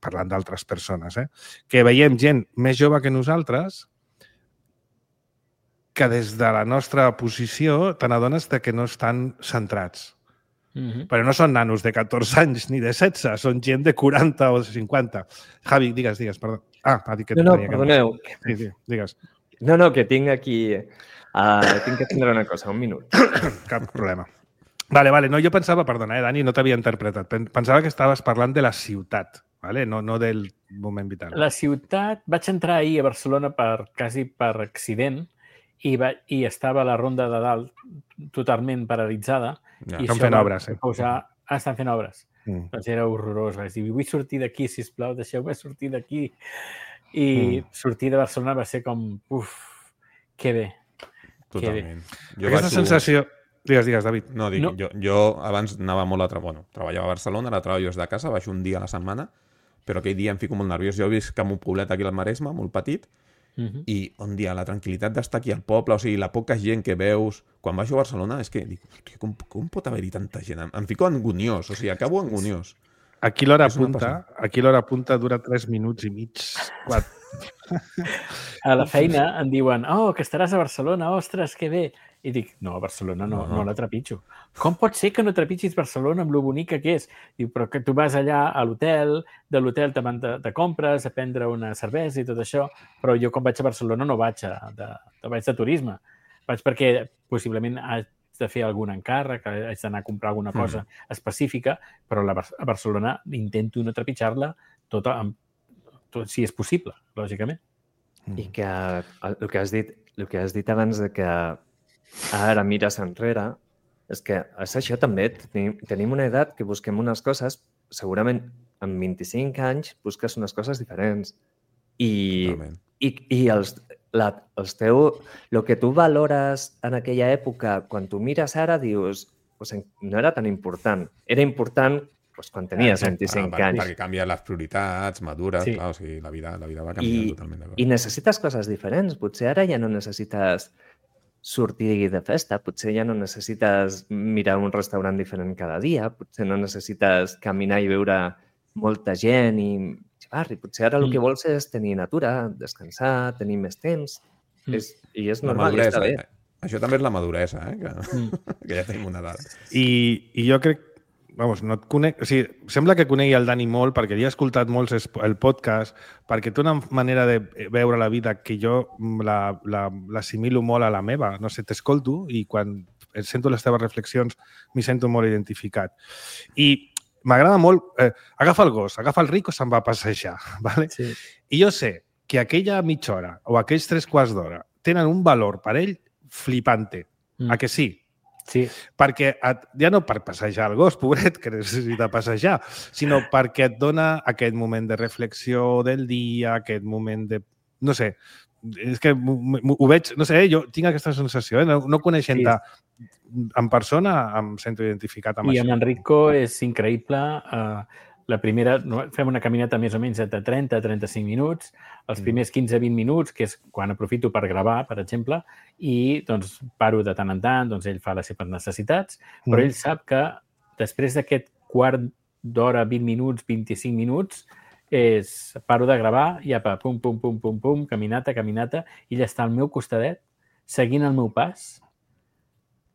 parlant d'altres persones, eh? Que veiem gent més jove que nosaltres que des de la nostra posició te n'adones que no estan centrats. Mhm. Però no són nanos de catorze anys ni de setze, són gent de quaranta o cinquanta. Javi, digues, digues, perdó. Ah, ha dit que No, no, tenia que- perdoneu. Sí, sí, digues. No, no, que tinc aquí... Uh, tinc que atendre una cosa, un minut. Cap problema. Vale, vale. No, jo pensava, perdona, eh, Dani, no t'havia interpretat. Pen- Pensava que estaves parlant de la ciutat, vale? no, no del moment vital. La ciutat... Vaig entrar ahir a Barcelona per, quasi per accident i, va, i estava la ronda de dalt totalment paralitzada. Ja. I Estan això fent va obres, eh? Posar... Ah, estan fent obres. Mm. Doncs era horrorós. Vaig dir, vull sortir d'aquí, sisplau, deixeu-me sortir d'aquí. I Mm. sortir de Barcelona va ser com, uf, que bé. Totalment. Jo Aquesta vaig- sensació... Digues, digues, David. No, dic, No. Jo, jo abans anava molt a... Tra... Bueno, treballava a Barcelona, ara treballo des de casa, baixo un dia a la setmana, però aquell dia em fico molt nerviós. Jo visc en un poblet aquí al Maresme, molt petit, Mhm. i on dia la tranquil·litat d'estar aquí al poble, o sigui, la poca gent que veus... Quan baixo a Barcelona és que dic, hòstia, com, com pot haver-hi tanta gent? Em, em fico anguniós, o sigui, acabo anguniós. Aquí l'hora És una punta, aquí l'hora punta dura tres minuts i mig. Quatre. A la feina em diuen, oh, que estaràs a Barcelona, ostres, que bé. I dic, no, a Barcelona no, no. no la trepitjo. Com pot ser que no trepitgis Barcelona amb lo bonica que és? Diu, però que tu vas allà a l'hotel, de l'hotel te van de, de compres, a prendre una cervesa i tot això, però jo quan vaig a Barcelona no vaig a, de, de, vaig de turisme. Vaig perquè possiblement haig de fer algun encàrrec, haig d'anar a comprar alguna cosa mm. específica, però la, a Barcelona intento no trepitjar-la tota, amb, tot, si és possible, lògicament. I que el que has dit, el que has dit abans de que ara mires enrere, és que és això també, tenim, tenim una edat que busquem unes coses, segurament amb vint-i-cinc anys busques unes coses diferents. I, i, i els, la, els teu, el que tu valores en aquella època, quan tu mires ara, dius, pues, no era tan important. Era important pues, quan tenies vint-i-cinc ah, anys. Perquè canvien les prioritats, madures, sí. clar, o sigui, la vida, la vida va canviant I, totalment. I necessites coses diferents. Potser ara ja no necessites sortir de festa, potser ja no necessites mirar un restaurant diferent cada dia, potser no necessites caminar i veure molta gent i barri. Potser ara mm. el que vols és tenir natura, descansar, tenir més temps. Mm. És, I és normal, i està bé. Això també és la maduresa, eh? que, mm. que ja tenim una edat. I, i jo crec, vamos, no et conec, o sigui, sembla que conegui el Dani molt perquè li he escoltat molts el podcast, perquè té una manera de veure la vida que jo l'assimilo molt a la meva. No sé, t'escolto i quan sento les teves reflexions m'hi sento molt identificat. I m'agrada molt... Eh, agafa el gos, agafa el Rico, se'n va a passejar. ¿Vale? Sí. I jo sé que aquella mitja hora o aquells tres quarts d'hora tenen un valor per ell flipante. Mm. A que sí? Sí. Perquè et, ja no per passejar el gos, pobret, que necessita passejar, sinó perquè et dona aquest moment de reflexió del dia, aquest moment de... No sé, és que ho veig... No sé, jo tinc aquesta sensació, eh? no, no coneixent-te sí. en persona, em sento identificat amb I això. I amb Enrico és increïble. Uh, la primera, fem una caminata més o menys de trenta a trenta-cinc minuts, els primers quinze a vint minuts, que és quan aprofito per gravar, per exemple, i doncs paro de tant en tant, doncs ell fa les seves necessitats, però mm. ell sap que després d'aquest quart d'hora, vint minuts, vint-i-cinc minuts, és paro de gravar i apa, pum, pum, pum, pum, pum, caminata, caminata, i ell està al meu costadet, seguint el meu pas,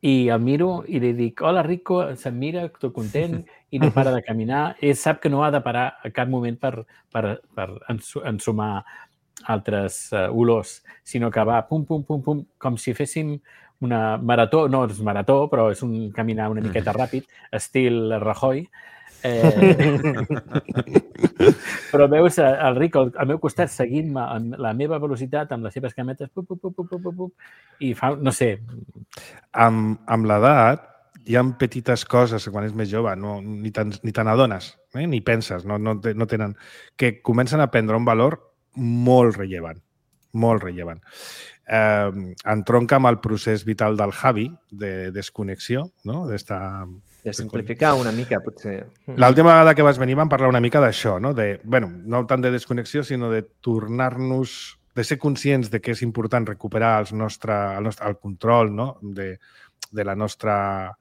i el miro i li dic, hola Rico, se'm mira, tot content, i no para de caminar. Ell sap que no ha de parar a cap moment per, per, per ensumar altres uh, olors, sinó que va pum, pum, pum, pum, com si féssim una marató, no és marató, però és un caminar una miqueta ràpid, estil Rajoy. Eh... però veus el Rico al meu costat seguint-me amb la meva velocitat, amb les seves cametes, pup, pup, pup, pup, pup, pup, i fa, no sé... Amb, amb l'edat hi ha petites coses que quan és més jove no, ni te ni te n'adones, eh? ni penses, no, no, no tenen, que comencen a prendre un valor molt rellevant, molt rellevant. Eh, entronca amb el procés vital del Javi de desconnexió, no? D'esta... De simplificar una mica, potser. L'última vegada que vas venir vam parlar una mica d'això, no? De, bueno, no tant de desconnexió, sinó de tornar-nos, de ser conscients de que és important recuperar els nostre, el, nostre, el control, no? de, de la nostra...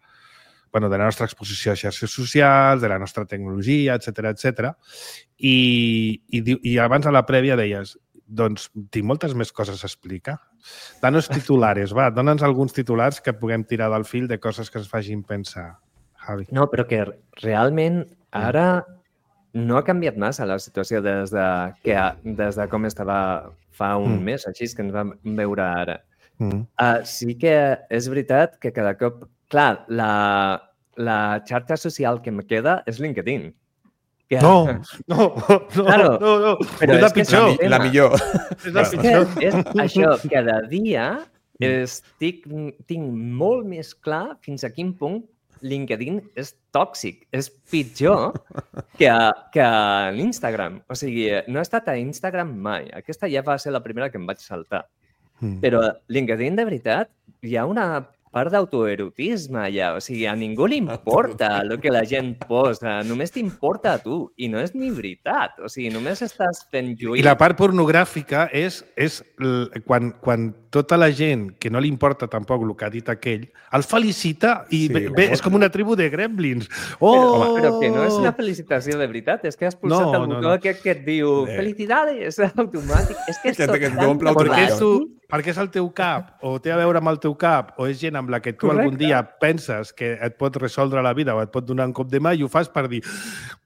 bueno, de la nostra exposició a xarxes socials, de la nostra tecnologia, etcètera, etcètera. I, i, I abans a la prèvia deies, doncs tinc moltes més coses a explicar. Danos titulares, va, dona'ns alguns titulars que puguem tirar del fil de coses que ens facin pensar, Javi. No, però que realment ara no ha canviat massa la situació des de, que, des de com estava fa un mm. mes, així que ens vam veure ara. Mm. Uh, sí que és veritat que cada cop... Clar, la, la xarxa social que em queda és LinkedIn. Que... No, no, no, claro, no, no. Però és la pitjor. La, la millor. És, la pitjor. És, és això, cada dia estic, tinc molt més clar fins a quin punt LinkedIn és tòxic, és pitjor que, que l'Instagram. O sigui, no he estat a Instagram mai. Aquesta ja va ser la primera que em vaig saltar. Mm. Però LinkedIn, de veritat, hi ha una part d'autoerotisme allà. O sigui, a ningú li importa el que la gent posa. Només t'importa a tu. I no és ni veritat. O sigui, només estàs fent lluir. I la part pornogràfica és, és l- quan, quan tota la gent que no li importa tampoc el que ha dit aquell, el felicita i Sí, bé, bé, és com una tribu de gremlins. Oh! Però, però que no és una felicitació de veritat. És que has pulsat No, el no, botó no. aquest que et diu Eh. felicidades, automàtic. És que és Que tot te- que et tan omple Perquè és, automático. tu, perquè és el teu cap, o té a veure amb el teu cap, o és gent amb la que tu Correcte. algun dia penses que et pot resoldre la vida o et pot donar un cop de mà i ho fas per dir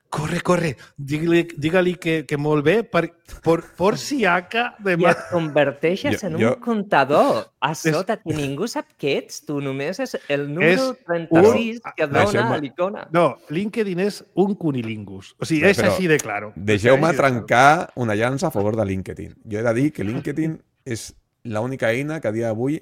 corre, corre, digue-li digue que, que molt bé, per, por, por si aca de I mà. et converteixes Jo- en un jo- comptador a sota que ningú sap què ets. Tu només és el número És trenta-sis un- que et Deixeu-me- dona l'icona. No, LinkedIn és un cunilingus. O sigui, Però- és però així de claro. Deixeu-me És així de claro. trencar una llança a favor de LinkedIn. Jo he de dir que LinkedIn és l'única eina que a dia d'avui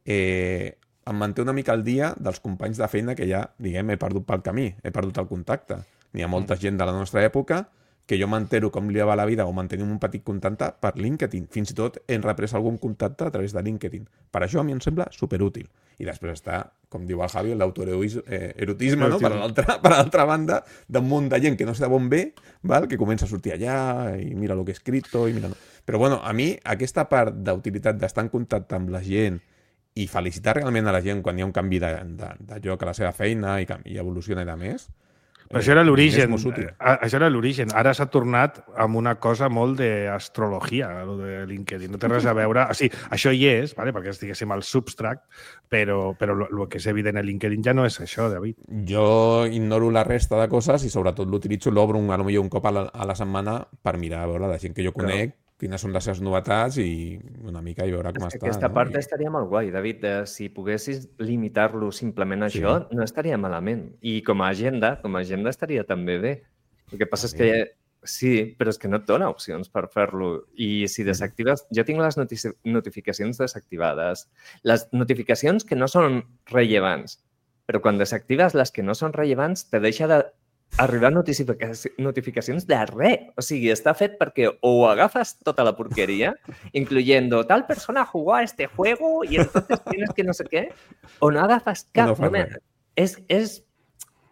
eh, em manté una mica al dia dels companys de feina que ja, diguem, he perdut pel camí, he perdut el contacte. N'hi ha molta gent de la nostra època que jo m'entero com li va la vida o mantenim un petit contacte per LinkedIn. Fins i tot hem reprès algun contacte a través de LinkedIn. Per això a mi em sembla superútil. I després està, com diu el Javi, l'autoerotisme, no? Per l'altra per l'altra banda, d'un munt de gent que no sé d'on ve, val? Que comença a sortir allà i mira lo que he escrito i mira... No. Però bueno, a mi aquesta part d'utilitat d'estar en contacte amb la gent i felicitar realment a la gent quan hi ha un canvi de, de, de lloc a la seva feina i, i evoluciona i de més, Però això era l'origen. és molt útil. A- Això era l'origen. Ara s'ha tornat amb una cosa molt d'astrologia, lo de LinkedIn. No té res a veure... O sigui, això hi és, vale? Perquè estiguéssim al substract, però, però el que és evident a LinkedIn ja no és això, David. Jo ignoro la resta de coses i sobretot l'utilitzo, l'obro un, a lo millor un cop a la, a la setmana per mirar a veure la gent que jo conec, quines són les seves novetats i una mica i veure com És que està. aquesta no? part I- estaria molt guai, David. De, si poguessis limitar-lo simplement a Sí. això, no estaria malament. I com a agenda, com a agenda estaria també bé. El que passa és que sí, però és que no et dona opcions per fer-lo. I si desactives... Jo tinc les notici- notificacions desactivades. Les notificacions que no són rellevants. Però quan desactives les que no són rellevants, te deixa de arribar notifica notificacions de res. O sigui, està fet perquè o agafes tota la porqueria, incluyendo tal persona jugó a este juego y entonces tienes que no sé què, o no agafes cap. No fa No me... res. és, és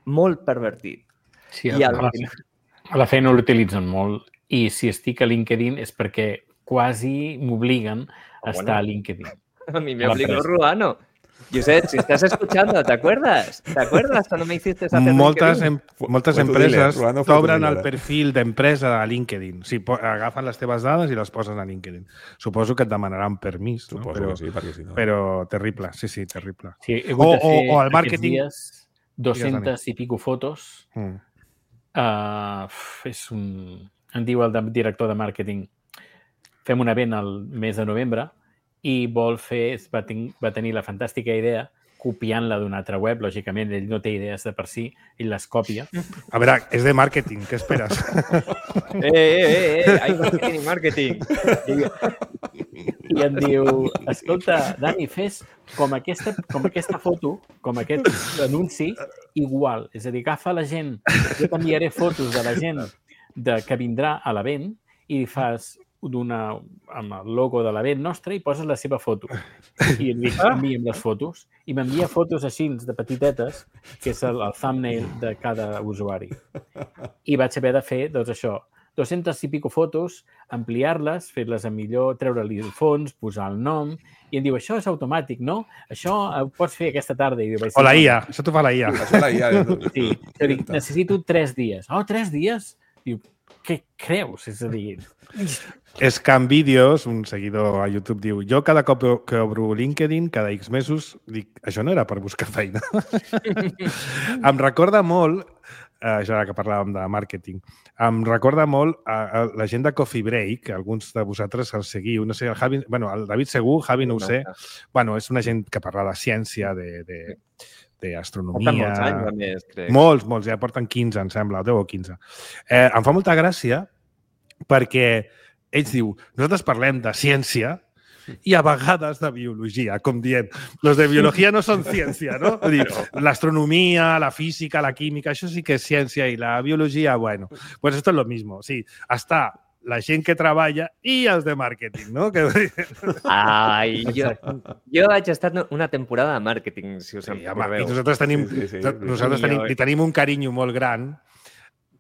molt pervertit. Sí, I a, al la, final- a la feina l'utilitzen molt i si estic a LinkedIn és perquè quasi m'obliguen a bueno. estar a LinkedIn. A mí me A la obligó presa. Ruano. Josep, si estás escuchando, ¿te acuerdas? ¿Te acuerdas cuando me hiciste hacer Moltes, LinkedIn? em, moltes Fue tu empreses dealer, Ruano fue tu t'obren el dealer. perfil d'empresa a LinkedIn. O sigui, po- agafen les teves dades i les posen a LinkedIn. Suposo que et demanaran permís, no? Suposo Però, que sí, perquè si no... però terrible, sí, sí, terrible. Sí, he hagut O- de fer o- o el aquests màrqueting- dies dues-centes i pico fotos. Mm. Uh, és un... Em diu el de- director de màrqueting fem un event al mes de novembre i vol fer, va, ten, va tenir la fantàstica idea copiant-la d'una altra web, lògicament ell no té idees de per si, ell les copia. A veure, és de màrqueting, què esperes? Eh, eh, eh, eh, hay marketing y marketing. I em diu, escolta, Dani, fes com aquesta, com aquesta foto, com aquest anunci, igual. És a dir, agafa la gent, jo t'enviaré fotos de la gent de, que vindrà a l'event i fas d'una amb el logo de l'event nostre i poses la seva foto. I et dic, envia'm les fotos. I m'envia fotos així de petitetes, que és el, el thumbnail de cada usuari. I vaig haver de fer, doncs això, dues-centes i pico fotos, ampliar-les, fer-les a millor, treure-li el fons, posar el nom, i em diu, això és automàtic, no? Això ho pots fer aquesta tarda. I diu, O la I A, això t'ho fa la I A. Això la I A, eh? Sí, jo dic, necessito tres dies. Oh, tres dies? Diu, què creus? És a dir, Scam Videos, un seguidor a YouTube, diu jo cada cop que obro LinkedIn, cada X mesos, dic, això no era per buscar feina. Em recorda molt, eh, això ara que parlàvem de màrqueting, em recorda molt a, a la gent de Coffee Break, que alguns de vosaltres el seguiu, no sé, el, Javi, bueno, el David segur, Javi no ho sé. Bueno, és una gent que parla de ciència, de, de, d'astronomia... Porten molts anys, a més, crec. Molts, molts, ja porten quinze, em sembla, deu o quinze. Eh, em fa molta gràcia perquè ells diu, nosaltres parlem de ciència i a vegades de biologia, com dient, los de biologia no són ciència, no? Vull dir, l'astronomia, la física, la química, això sí que és ciència i la biologia, bueno, pues esto es lo mismo. Sí, està la gent que treballa i els de màrqueting, no? Que... Ai, jo, jo vaig estar una temporada de màrqueting, si us en Sí, home, i recordeu. nosaltres tenim, Sí, sí, sí. nosaltres I tenim, jo- li tenim un carinyo molt gran.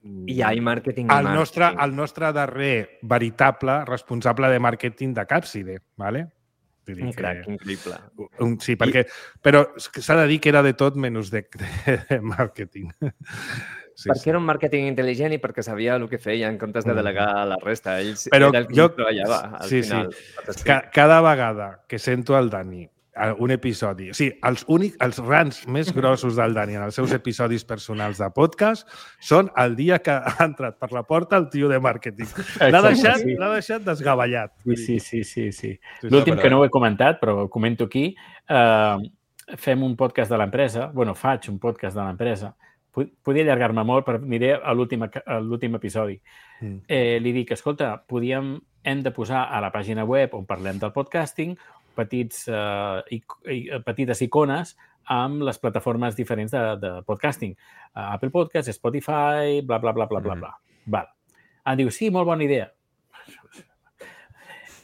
I hi ha màrqueting i El nostre, màrqueting. el nostre darrer veritable responsable de màrqueting de Capside, ¿vale? Vull dir Un que- crac, increïble. Un, sí, perquè... Però s'ha de dir que era de tot menys de, de màrqueting. Sí, perquè era un màrqueting intel·ligent i perquè sabia el que feia en comptes de Mm. delegar a la resta. Ell Però era el que jo- treballava al sí, final. sí. Ca cada vegada que sento el Dani a un episodi... O sigui, els, únics, els rants més grossos del Dani en els seus episodis personals de podcast són el dia que ha entrat per la porta el tio de màrqueting. L'ha Exacte, deixat, sí. l'ha deixat desgavellat. Sí, sí, sí, sí, sí. Sí, L'últim però- que no ho he comentat, però ho comento aquí, eh, fem un podcast de l'empresa, bueno, faig un podcast de l'empresa, Pod- Podria allargar-me molt, però aniré a l'últim a l'últim episodi. Mm. Eh, li dic, escolta, podíem, hem de posar a la pàgina web on parlem del podcasting petits, eh, ic i, petites icones amb les plataformes diferents de, de podcasting. Uh, Apple Podcast, Spotify, bla, bla, bla, bla, bla, bla. Val. Em diu, sí, molt bona idea.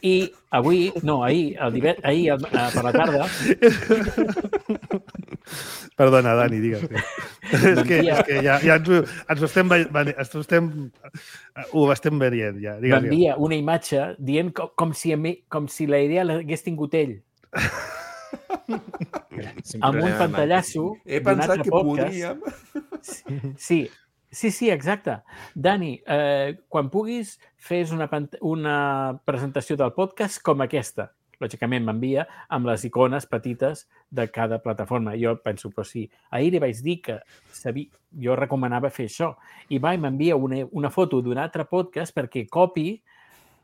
I avui, no, ahir, el divet, ahir el, eh, per la tarda, Perdona, Dani, digues. és, que, M'envia- és que ja, ja ens, ho- ens ho estem, ve- vene- ens ho estem, ho estem veient, ja. Digues, digues. m'envia una imatge dient com, com, si, a mi, com si la idea l'hagués tingut ell, amb un pantallasso He d'un pensat altre que podcast. podríem... Sí, sí, sí, exacte. Dani, eh, quan puguis, fes una, pant- una presentació del podcast com aquesta. Lògicament m'envia amb les icones petites de cada plataforma. Jo penso, però sí, ahir li vaig dir que sabia, jo recomanava fer això. I va i m'envia una, una foto d'un altre podcast perquè copi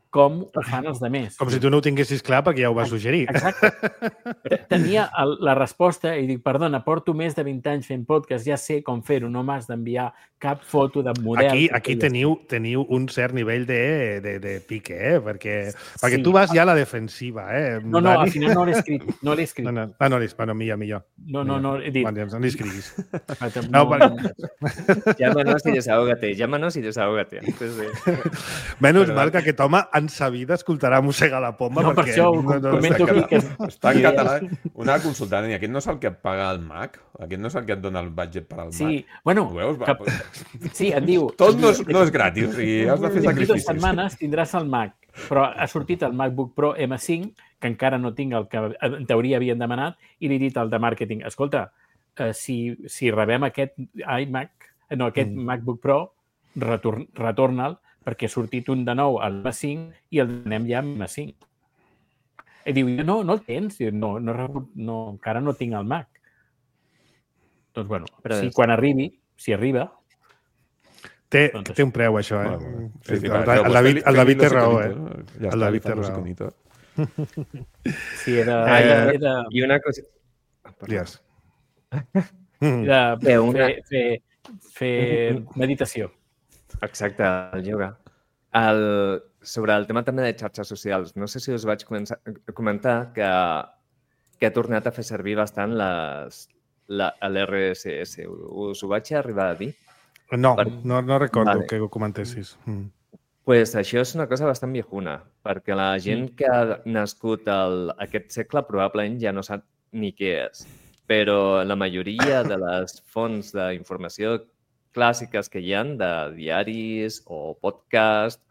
com ho fan els demés. Com si tu no ho tinguessis clar perquè ja ho vas suggerir. Exacte. Tenia el, la resposta i dic, perdona, porto més de vint anys fent podcast, ja sé com fer-ho, no m'has d'enviar cap foto de model. Aquí, que aquí feies. teniu, teniu un cert nivell de, de, de pique, eh? Perquè, perquè Sí. tu vas ja a la defensiva, eh? No, no, al Dani? final no l'he escrit. No l'he escrit. No, no, ah, no, bueno, millor, millor. No, no, no, he dit. Vale, doncs no li escriguis. No, No, perquè- Llámanos y desahógate, llámanos y desahógate. Sí, sí. Menys Però- mal que aquest home en sa vida escoltarà mossegar la poma No, per perquè... això ho comento està aquí. Que... Està en català. Una consulta, Dani, aquest no és el que et paga el Mac? Aquest no és el que et dona el budget per al Sí, Mac? bueno, Ho veus? Va, que... sí, em diu... Tot no és, no és gratis, o sigui, has de fer D'aquí dues sacrificis. setmanes tindràs el Mac, però ha sortit el MacBook Pro M cinc, que encara no tinc el que en teoria havien demanat, i li he dit al de màrqueting, escolta, eh, si, si rebem aquest iMac, no, aquest Mm. MacBook Pro, retorn, retorna'l, perquè ha sortit un de nou al M cinc i el donem ja amb M cinc. I diu, no, no el tens? Diu, no, no, he rebut- no, encara no tinc el Mac. Doncs, bueno, Però si és- quan arribi, si arriba, Té, Doncs té un preu, això, eh? Bueno, Sí, sí, sí, el, va, el, però David, feliz- el David té feliz raó, los eh? iconitos. Ja El està, David li fan té los raó. iconitos. si era... Ah, era, i- era I una cosa... Ah, perdó. Digues. Mm. de Bé, una- fer, fer, fer meditació. Exacte, el yoga. El, sobre el tema també de xarxes socials, no sé si us vaig començar, comentar que, que he tornat a fer servir bastant les, la, l'R S S. Us ho vaig arribar a dir? No, Per- no, no recordo Vale. que ho comentessis. Mm. Pues això és una cosa bastant viejuna, perquè la gent que ha nascut el, aquest segle probablement ja no sap ni què és. Però la majoria de les fonts d'informació clàssiques que hi ha, de diaris o podcast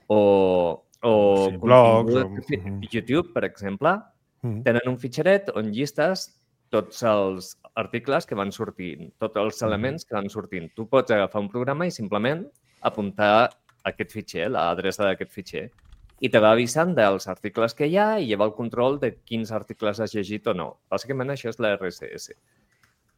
o, o Sí, blogs, contingut- o- YouTube, per exemple, Mm. tenen un fitxeret on llistes tots els articles que van sortint, tots els elements que van sortint. Tu pots agafar un programa i simplement apuntar aquest fitxer, l'adreça d'aquest fitxer, i te va avisant dels articles que hi ha i lleva el control de quins articles has llegit o no. Bàsicament això és la R S S.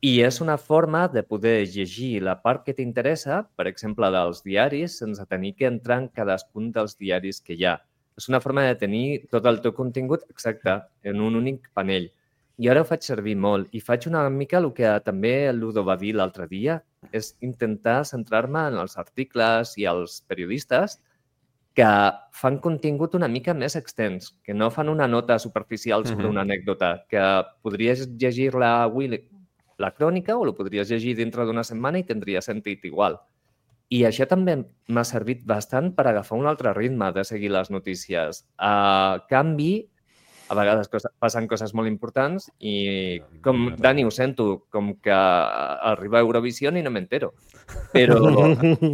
I és una forma de poder llegir la part que t'interessa, per exemple, dels diaris, sense tenir que entrar en cadascun dels diaris que hi ha. És una forma de tenir tot el teu contingut exacte en un únic panell. I ara ho faig servir molt i faig una mica el que també el Ludo va dir l'altre dia, és intentar centrar-me en els articles i els periodistes que fan contingut una mica més extens, que no fan una nota superficial sobre Mhm. una anècdota, que podries llegir-la avui la crònica o la podries llegir dintre d'una setmana i tindria sentit igual. I això també m'ha servit bastant per agafar un altre ritme de seguir les notícies. A canvi, a vegades cosa, passen coses molt importants i, com Dani, ho sento, com que arriba a Eurovisió i no m'entero. Però,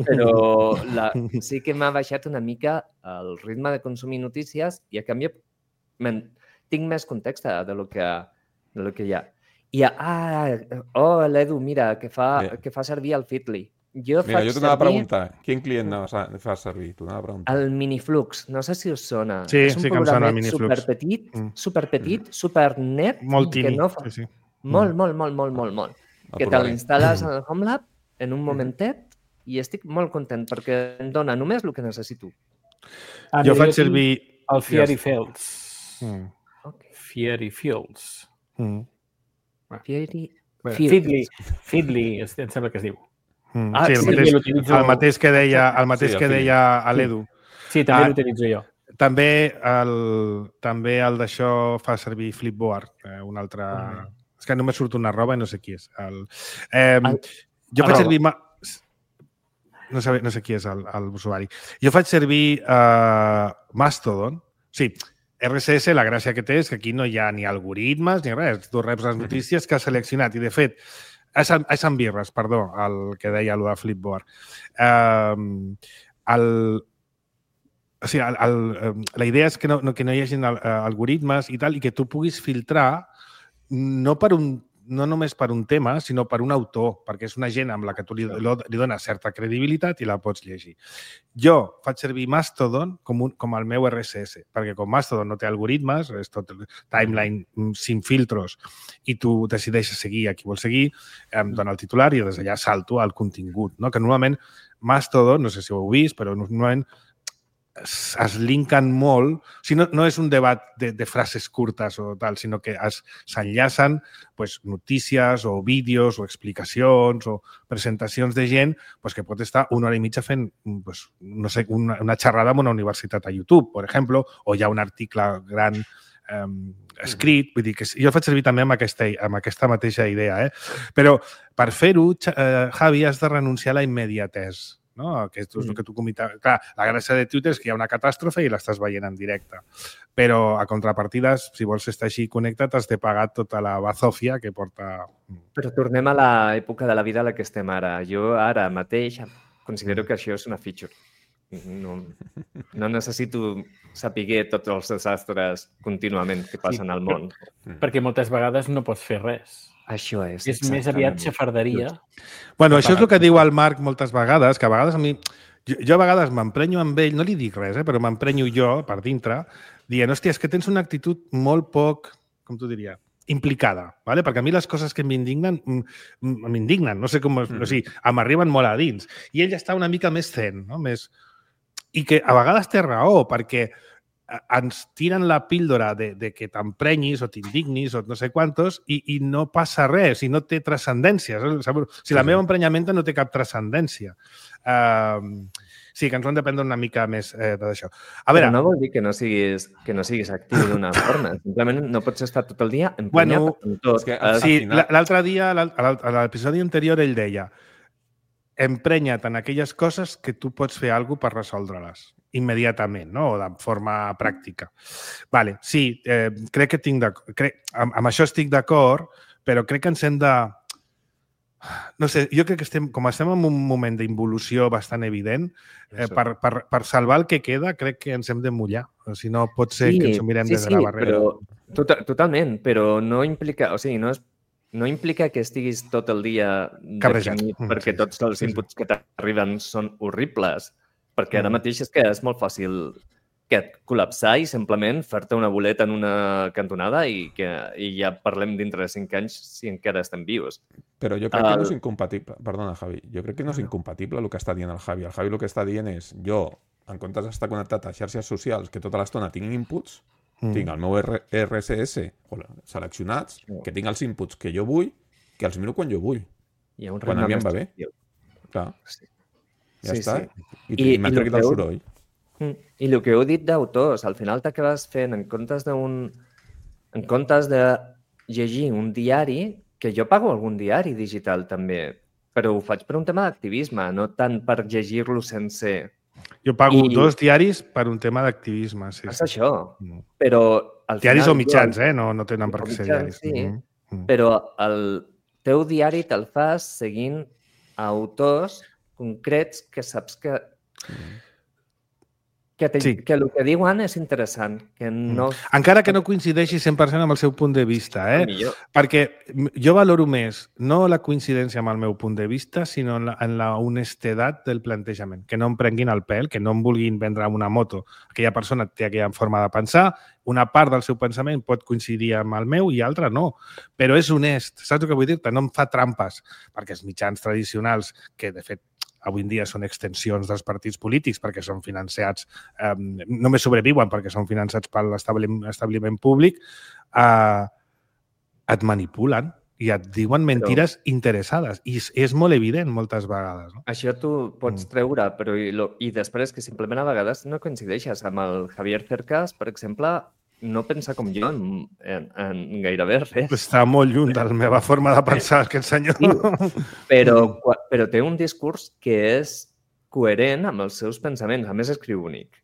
però la, sí que m'ha baixat una mica el ritme de consumir notícies i, a canvi, tinc més context de lo que, de lo que hi ha. I, ah, oh, l'Edu, mira, que fa, que fa servir el Feedly. Jo Mira, jo t'anava a preguntar, quin client fa servir? T'anava a preguntar. El Miniflux, no sé si us sona. Sí, és un sí que em sona el programet Miniflux. superpetit, mm. superpetit, supernet. Molt tímid, no fa... sí, sí. Molt, molt, molt, molt, molt, molt. El que te l'instal·les al HomeLab en un momentet i estic molt content perquè em dona només el que necessito. Ah, jo faig servir... El Fiery Fields. Mm. Okay. Fiery Fields. Mm. Fiery Feedly. Feedly, em sembla que es diu. Mm. Ah, sí, el, sí, mateix, l'utilitzo... el mateix que deia, el mateix Sí, el que deia a l'Edu. Sí, també Ah, l'utilitzo jo. També el, també el d'això fa servir Flipboard, eh, un altre... Mm. És que només surt una roba i no sé qui és. El, eh, el, jo faig servir... Ma... No sé, no sé qui és l'usuari. Jo faig servir uh, Mastodon. Sí, R S S, la gràcia que té és que aquí no hi ha ni algoritmes ni res. Tu reps les notícies que has seleccionat i, de fet, és en birres, perdó, el que deia allò de Flipboard. Um, el, o sigui, el, el, la idea és que no, que no hi hagi algoritmes i tal, i que tu puguis filtrar no per un no només per un tema, sinó per un autor, perquè és una gent amb la que tu li, li dones certa credibilitat i la pots llegir. Jo faig servir Mastodon com, un, com el meu R S S, perquè com Mastodon no té algoritmes, és tot timeline sin filtros, i tu decideixes seguir a qui vols seguir, em dona el titular i des d'allà salto al contingut, no? Que normalment Mastodon, no sé si ho heu vist, però normalment es, es linken molt, o sigui, no, no és un debat de, de frases curtes o tal, sinó que s'enllacen pues, notícies o vídeos o explicacions o presentacions de gent pues, que pot estar una hora i mitja fent pues, no sé, una, una xerrada en una universitat a YouTube, per exemple, o hi ha un article gran eh, escrit, vull dir que jo el faig servir també amb aquesta, amb aquesta mateixa idea, eh? Però per fer-ho, eh, Javi, has de renunciar a la immediatesa. No? Que és el que tu comentaves. Clar, la gràcia de Twitter és que hi ha una catàstrofe i l'estàs veient en directe. Però a contrapartides, si vols estar així connectat, has de pagar tota la bazòfia que porta... Però tornem a l'època de la vida a la que estem ara. Jo ara mateix considero que això és una feature. No, no necessito saber tots els desastres contínuament que passen sí, al món. Perquè moltes vegades no pots fer res. Això és. És més aviat xafarderia. Bueno, això és el que diu el Marc moltes vegades, que a vegades a mi... Jo, jo a vegades m'emprenyo amb ell, no li dic res, eh, però m'emprenyo jo per dintre, dient, hòstia, és que tens una actitud molt poc, com t'ho diria, implicada, ¿vale? Perquè a mi les coses que m'indignen, m'indignen, no sé com... Mm. O sigui, m'arriben molt a dins. I ell està una mica més zen, no? Més... I que a vegades té raó, perquè ens tiren la píldora de, de que t'emprenyis o t'indignis o no sé quantos i, i no passa res, i no té transcendència. O sigui, la meva emprenyamenta no té cap transcendència. Uh, sí, que ens ho hem de prendre una mica més eh, d'això. A veure... Però no vol dir que no siguis, que no siguis actiu d'una forma. Simplement no pots estar tot el dia emprenyat bueno, amb tot. És que, sí, final... l'altre dia, a l'episodi anterior, ell deia emprenya't en aquelles coses que tu pots fer alguna cosa per resoldre-les immediatament, no? O de forma pràctica. Vale, sí, eh, crec que tinc crec, amb, amb això estic d'acord, però crec que ens hem de... No sé, jo crec que estem, com estem en un moment d'involució bastant evident, eh, per, per, per salvar el que queda, crec que ens hem de mullar. O si no, pot ser sí, que ens ho mirem sí, des de la barrera. Sí, però, totalment, però no implica... O sigui, no és No implica que estiguis tot el dia deprimit perquè sí, tots els inputs sí, sí. que t'arriben són horribles. Perquè ara mateix és que és molt fàcil que et col·lapsar i simplement fer-te una boleta en una cantonada i, que, i ja parlem dintre de cinc anys si encara estem vius. Però jo crec el... que no és incompatible. Perdona, Javi. Jo crec que no és incompatible el que està dient el Javi. El Javi el que està dient és jo, en comptes d'estar connectat a xarxes socials que tota l'estona tinc inputs, Mm. tinc el meu R S S seleccionats, que tinc els inputs que jo vull, que els miro quan jo vull. Hi ha un quan a mi em va bé. Clar. Sí. Ja sí, està. Sí. I, I, i m'ha tregut el soroll. I el que heu dit d'autors, al final t'acabes fent en comptes d'un... En comptes de llegir un diari, que jo pago algun diari digital també, però ho faig per un tema d'activisme, no tant per llegir-lo sense... Jo pago I- dos diaris per un tema d'activisme. Sí, És sí. això, Mm. però al Diaris final... o mitjans, jo- eh? No, no tenen per O què ser mitjans, diaris. sí. Mm. Mm. Però el teu diari te'l fas seguint autors concrets que saps que que, te, Sí. que el que diuen és interessant, que no... Encara que no coincideixi cent per cent amb el seu punt de vista, eh? Millor. Perquè jo valoro més no la coincidència amb el meu punt de vista, sinó en la, en la honestedat del plantejament. Que no em prenguin el pèl, que no em vulguin vendre una moto. Aquella persona té aquella forma de pensar, una part del seu pensament pot coincidir amb el meu i altra no. Però és honest, saps el que vull dir-te? No em fa trampes, perquè els mitjans tradicionals, que de fet avui en dia són extensions dels partits polítics perquè són financiats, eh, només sobreviuen perquè són finançats per l'establiment públic, eh, et manipulen i et diuen mentides però... interessades. I és, és molt evident moltes vegades. No? Això tu pots treure, però i, lo, i després que simplement a vegades no coincideixes amb el Javier Cercas, per exemple, no pensa com jo en, en, en gairebé res. Està molt lluny de la meva forma de pensar, aquest senyor. Sí, però, però té un discurs que és coherent amb els seus pensaments. A més, escriu bonic.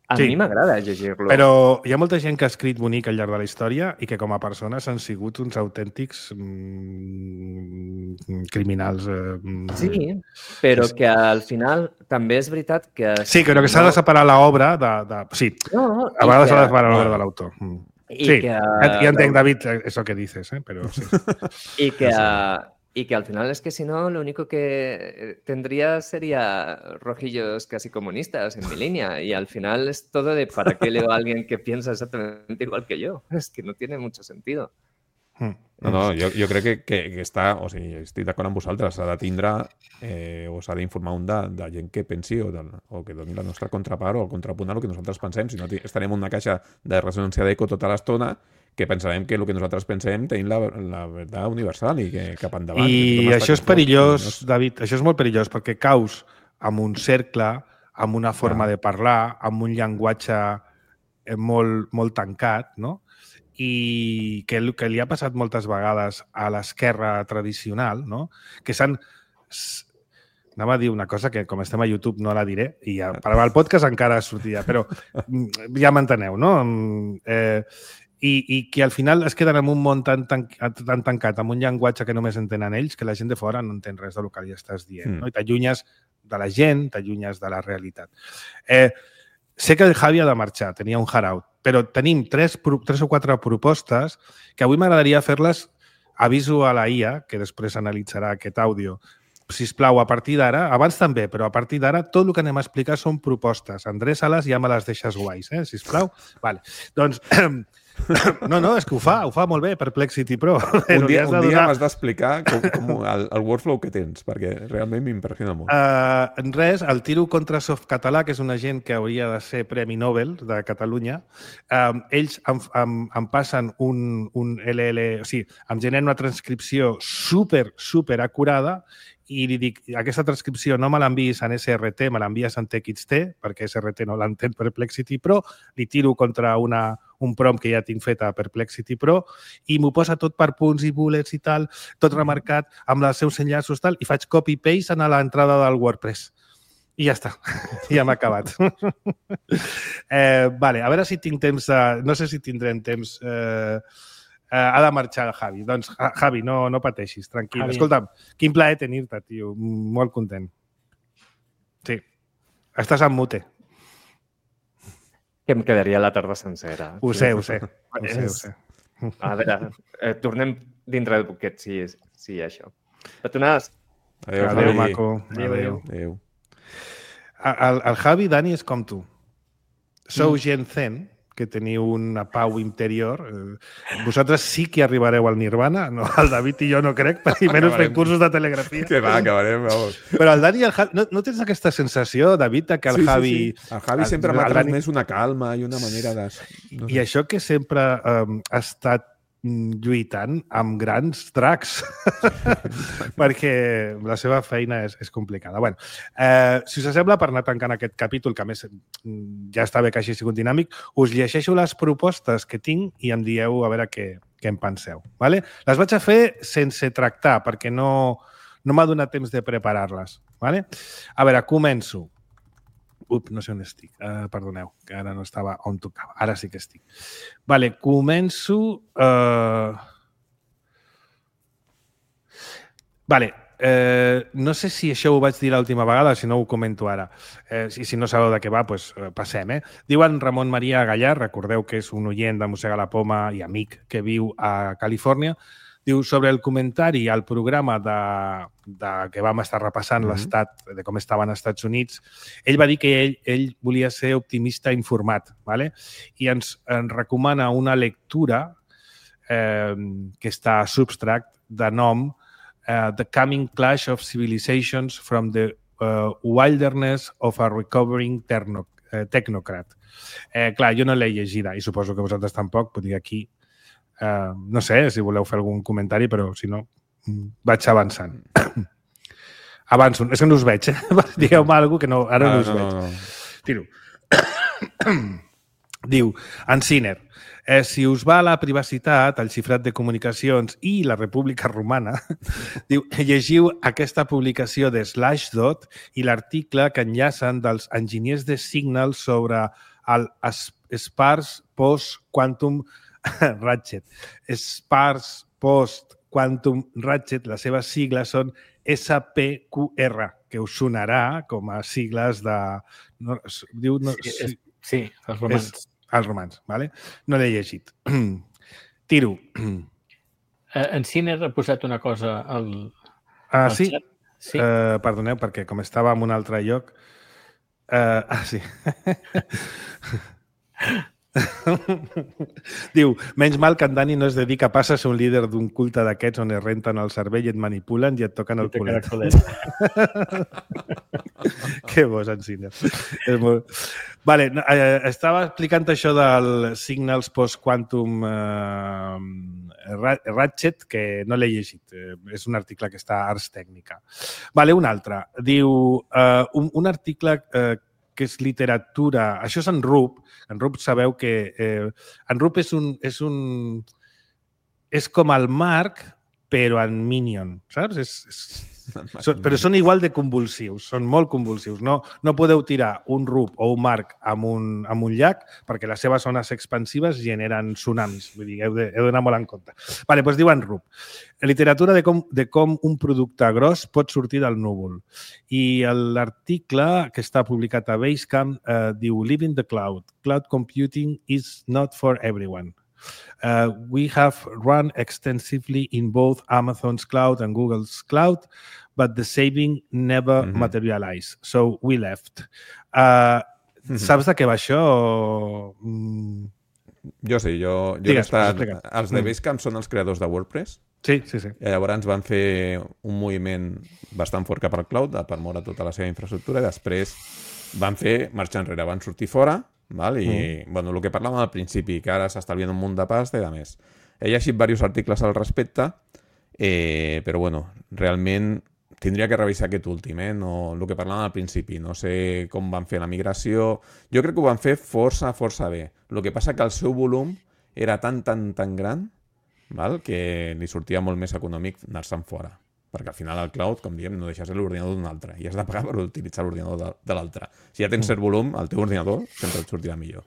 A Sí. mi m'agrada llegir-lo. Però hi ha molta gent que ha escrit bonic al llarg de la història i que com a persones han sigut uns autèntics mm, criminals. Eh, Sí, però que al final també és veritat que... Sí, però que s'ha de separar l'obra de, de... Sí, No, a vegades que- s'ha de separar l'obra de l'autor. Mm. i Sí, que- ja, ja entenc, David, eso que dices, eh? Però sí. Y que, y que al final es que si no, lo único que tendría sería rojillos casi comunistas en mi línea. Y al final es todo de ¿para qué leo a alguien que piensa exactamente igual que yo? Es que no tiene mucho sentido. Mm. No, no, jo, jo crec que, que, que està, o sigui, estic d'acord amb vosaltres, s'ha de tindre eh, o s'ha d'informar un de, de gent que pensi o, de, o que doni la nostra contrapart o el contrapunt a el que nosaltres pensem, si no estarem en una caixa de ressonància d'eco tota l'estona que pensarem que el que nosaltres pensem tenim la, la veritat universal i que cap endavant. I això és perillós, David, això és molt perillós perquè caus amb un cercle, amb una forma Clar. de parlar, amb un llenguatge eh, molt, molt tancat, no? I que el que li ha passat moltes vegades a l'esquerra tradicional, no? Que s'han... s- Anava a dir una cosa que, com estem a YouTube, no la diré, i ja, per al podcast encara sortia, però mm, ja m'enteneu, no? Mm, Eh, i, i que al final es queden en un món tan, tan, tan tancat, amb un llenguatge que només entenen ells, que la gent de fora no entén res del que li estàs dient. Mm. No? I t'allunyes de la gent, t'allunyes de la realitat. Eh, sé que el Javi ha de marxar, tenia un hard-out, però tenim tres, pro- tres o quatre propostes que avui m'agradaria fer-les, aviso a la I A, que després analitzarà aquest àudio, sisplau, a partir d'ara, abans també, però a partir d'ara, tot el que anem a explicar són propostes. Endreça-les i ja me les deixes guais, eh? Sisplau. Vale. Doncs, no, no, és que ho fa, ho fa molt bé, Perplexity Pro. Un dia, Li has de un dia donar- m'has d'explicar com, com el, el workflow que tens, perquè realment m'impressiona molt. Uh, en res, el tiro contra Softcatalà, que és una gent que hauria de ser Premi Nobel de Catalunya, um, ells em, em, em passen un, un L L... O sigui, em generen una transcripció super, super acurada i li dic, aquesta transcripció no me l'enviïs en S R T, me l'envies en T X T, perquè S R T no l'entén Perplexity Pro, li tiro contra una, un prompt que ja tinc fet a Perplexity Pro i m'ho posa tot per punts i bullets i tal, tot remarcat amb els seus enllaços tal, i faig copy-paste a l'entrada del WordPress. I ja està. Ja m'ha acabat. eh, vale, a veure si tinc temps... De... No sé si tindrem temps... Eh... Uh, ha de marxar el Javi. Doncs, Ja- Javi, no, no pateixis, tranquil. Javi. Escolta'm, quin plaer tenir-te, tio. Molt content. Sí. Estàs en mute. Que em quedaria la tarda sencera. Ho sé, ho sé. Ho sé, ho sé. A veure, eh, tornem dintre de poquet, si, si això. Petonades. Adéu, Adéu, Javi. maco. Adéu, Adéu. Adéu. El, el Javi, Dani, és com tu. Sou gent zen, que teniu una pau interior. Eh, Vosaltres sí que arribareu al nirvana. No, el David i jo no crec, i menys fent Acabarem. cursos de telegrafia. Que va, acabarem, vamos. Però el Dani i el Javi... No, no tens aquesta sensació, David, de que el Sí, sí, Javi... sí. El Javi el- sempre el m'ha Dani- transmès una calma i una manera de... No I això que sempre um, ha estat mm, lluitant amb grans dracs, perquè la seva feina és, és complicada. Bueno, eh, si us sembla, per anar tancant aquest capítol, que a més mm, ja està bé que hagi sigut dinàmic, us llegeixo les propostes que tinc i em dieu a veure què, què en penseu. Vale? Les vaig a fer sense tractar, perquè no, no m'ha donat temps de preparar-les. Vale? A veure, començo. Up, no sé on estic. Uh, perdoneu, que ara no estava on tocava. Ara sí que estic. Vale, començo... Uh... Vale, eh, no sé si això ho vaig dir l'última vegada, si no ho comento ara. Eh, si, si no sabeu de què va, doncs eh, passem. Eh? Diuen Ramon Maria Gallar, recordeu que és un oient de Mossega la Poma i amic que viu a Califòrnia. Diu, sobre el comentari al programa de, de que vam estar repassant mm-hmm. l'estat, de com estaven als Estats Units, ell va dir que ell, ell volia ser optimista informat, ¿vale? I ens, ens recomana una lectura eh, que està a Substract de nom Uh, The Coming Clash of Civilizations from the uh, Wilderness of a Recovering terno, uh, Technocrat. Eh, clar, jo no l'he llegida i suposo que vosaltres tampoc, vull dir aquí, uh, no sé si voleu fer algun comentari, però si no, vaig avançant. Avanço, és que no us veig, eh? Digueu-me alguna cosa que no, ara no, no us no, veig. No, no. Tiro. Diu, Anciner, eh, si us va a la privacitat, el xifrat de comunicacions i la República Romana, diu, llegiu aquesta publicació de Slashdot i l'article que enllacen dels enginyers de Signal sobre el Sparse Post Quantum Ratchet. Sparse Post Quantum Ratchet, les seves sigles són S P Q R, que us sonarà com a sigles de... No, diu, no, sí, és, sí, els romans. És, els romans, vale? No l'he llegit. Tiro. En Ciner ha posat una cosa al, ah, al sí? xat. Sí. Uh, perdoneu, perquè com estava en un altre lloc... Uh, ah, sí. Diu, menys mal que en Dani no es dedica a passar a ser un líder d'un culte d'aquests on es renten el cervell i et manipulen i et toquen el culet. Que bo, en Ciner. És molt... Vale, eh, estava explicant això del Signals Post-Quantum eh, Ratchet, que no l'he llegit. Eh, és un article que està a Ars Technica. Vale, un altre. Diu, eh, un, un article eh, que és literatura... Això és en Rup. En Rup sabeu que... Eh, en Rup és un, és un... És com el Marc, però en Minion, saps? És... és Són, però són igual de convulsius, són molt convulsius. No, no podeu tirar un rup o un marc amb un, amb un llac perquè les seves zones expansives generen tsunamis. Vull dir, heu de, heu d'anar molt en compte. Vale, doncs diuen rup. Literatura de com, de com un producte gros pot sortir del núvol. I l'article que està publicat a Basecamp eh, diu Living the Cloud. Cloud computing is not for everyone. Uh, we have run extensively in both Amazon's cloud and Google's cloud, but the saving never mm-hmm. materialized. So we left. Uh, mm-hmm. Saps de què va això? Mm. Jo sí, jo, jo Digues, he estat... Els de Basecamp mm. són els creadors de WordPress. Sí, sí, sí. I llavors van fer un moviment bastant fort cap al cloud per moure tota la seva infraestructura i després van fer marxar enrere, van sortir fora. Val? I, mm. bueno, el que parlàvem al principi, que ara s'estalvien un munt de pasta i a més. He llegit diversos articles al respecte, eh, però bueno, realment tindria que revisar aquest últim, eh? No, el que parlàvem al principi. No sé com van fer la migració. Jo crec que ho van fer força, força bé. El que passa que el seu volum era tan, tan, tan gran, val? Que li sortia molt més econòmic anar-se'n fora. Perquè al final el cloud, com diem, no deixes l'ordinador d'un altre i has de pagar per utilitzar l'ordinador de, de l'altre. Si ja tens cert volum, el teu ordinador sempre et sortirà millor.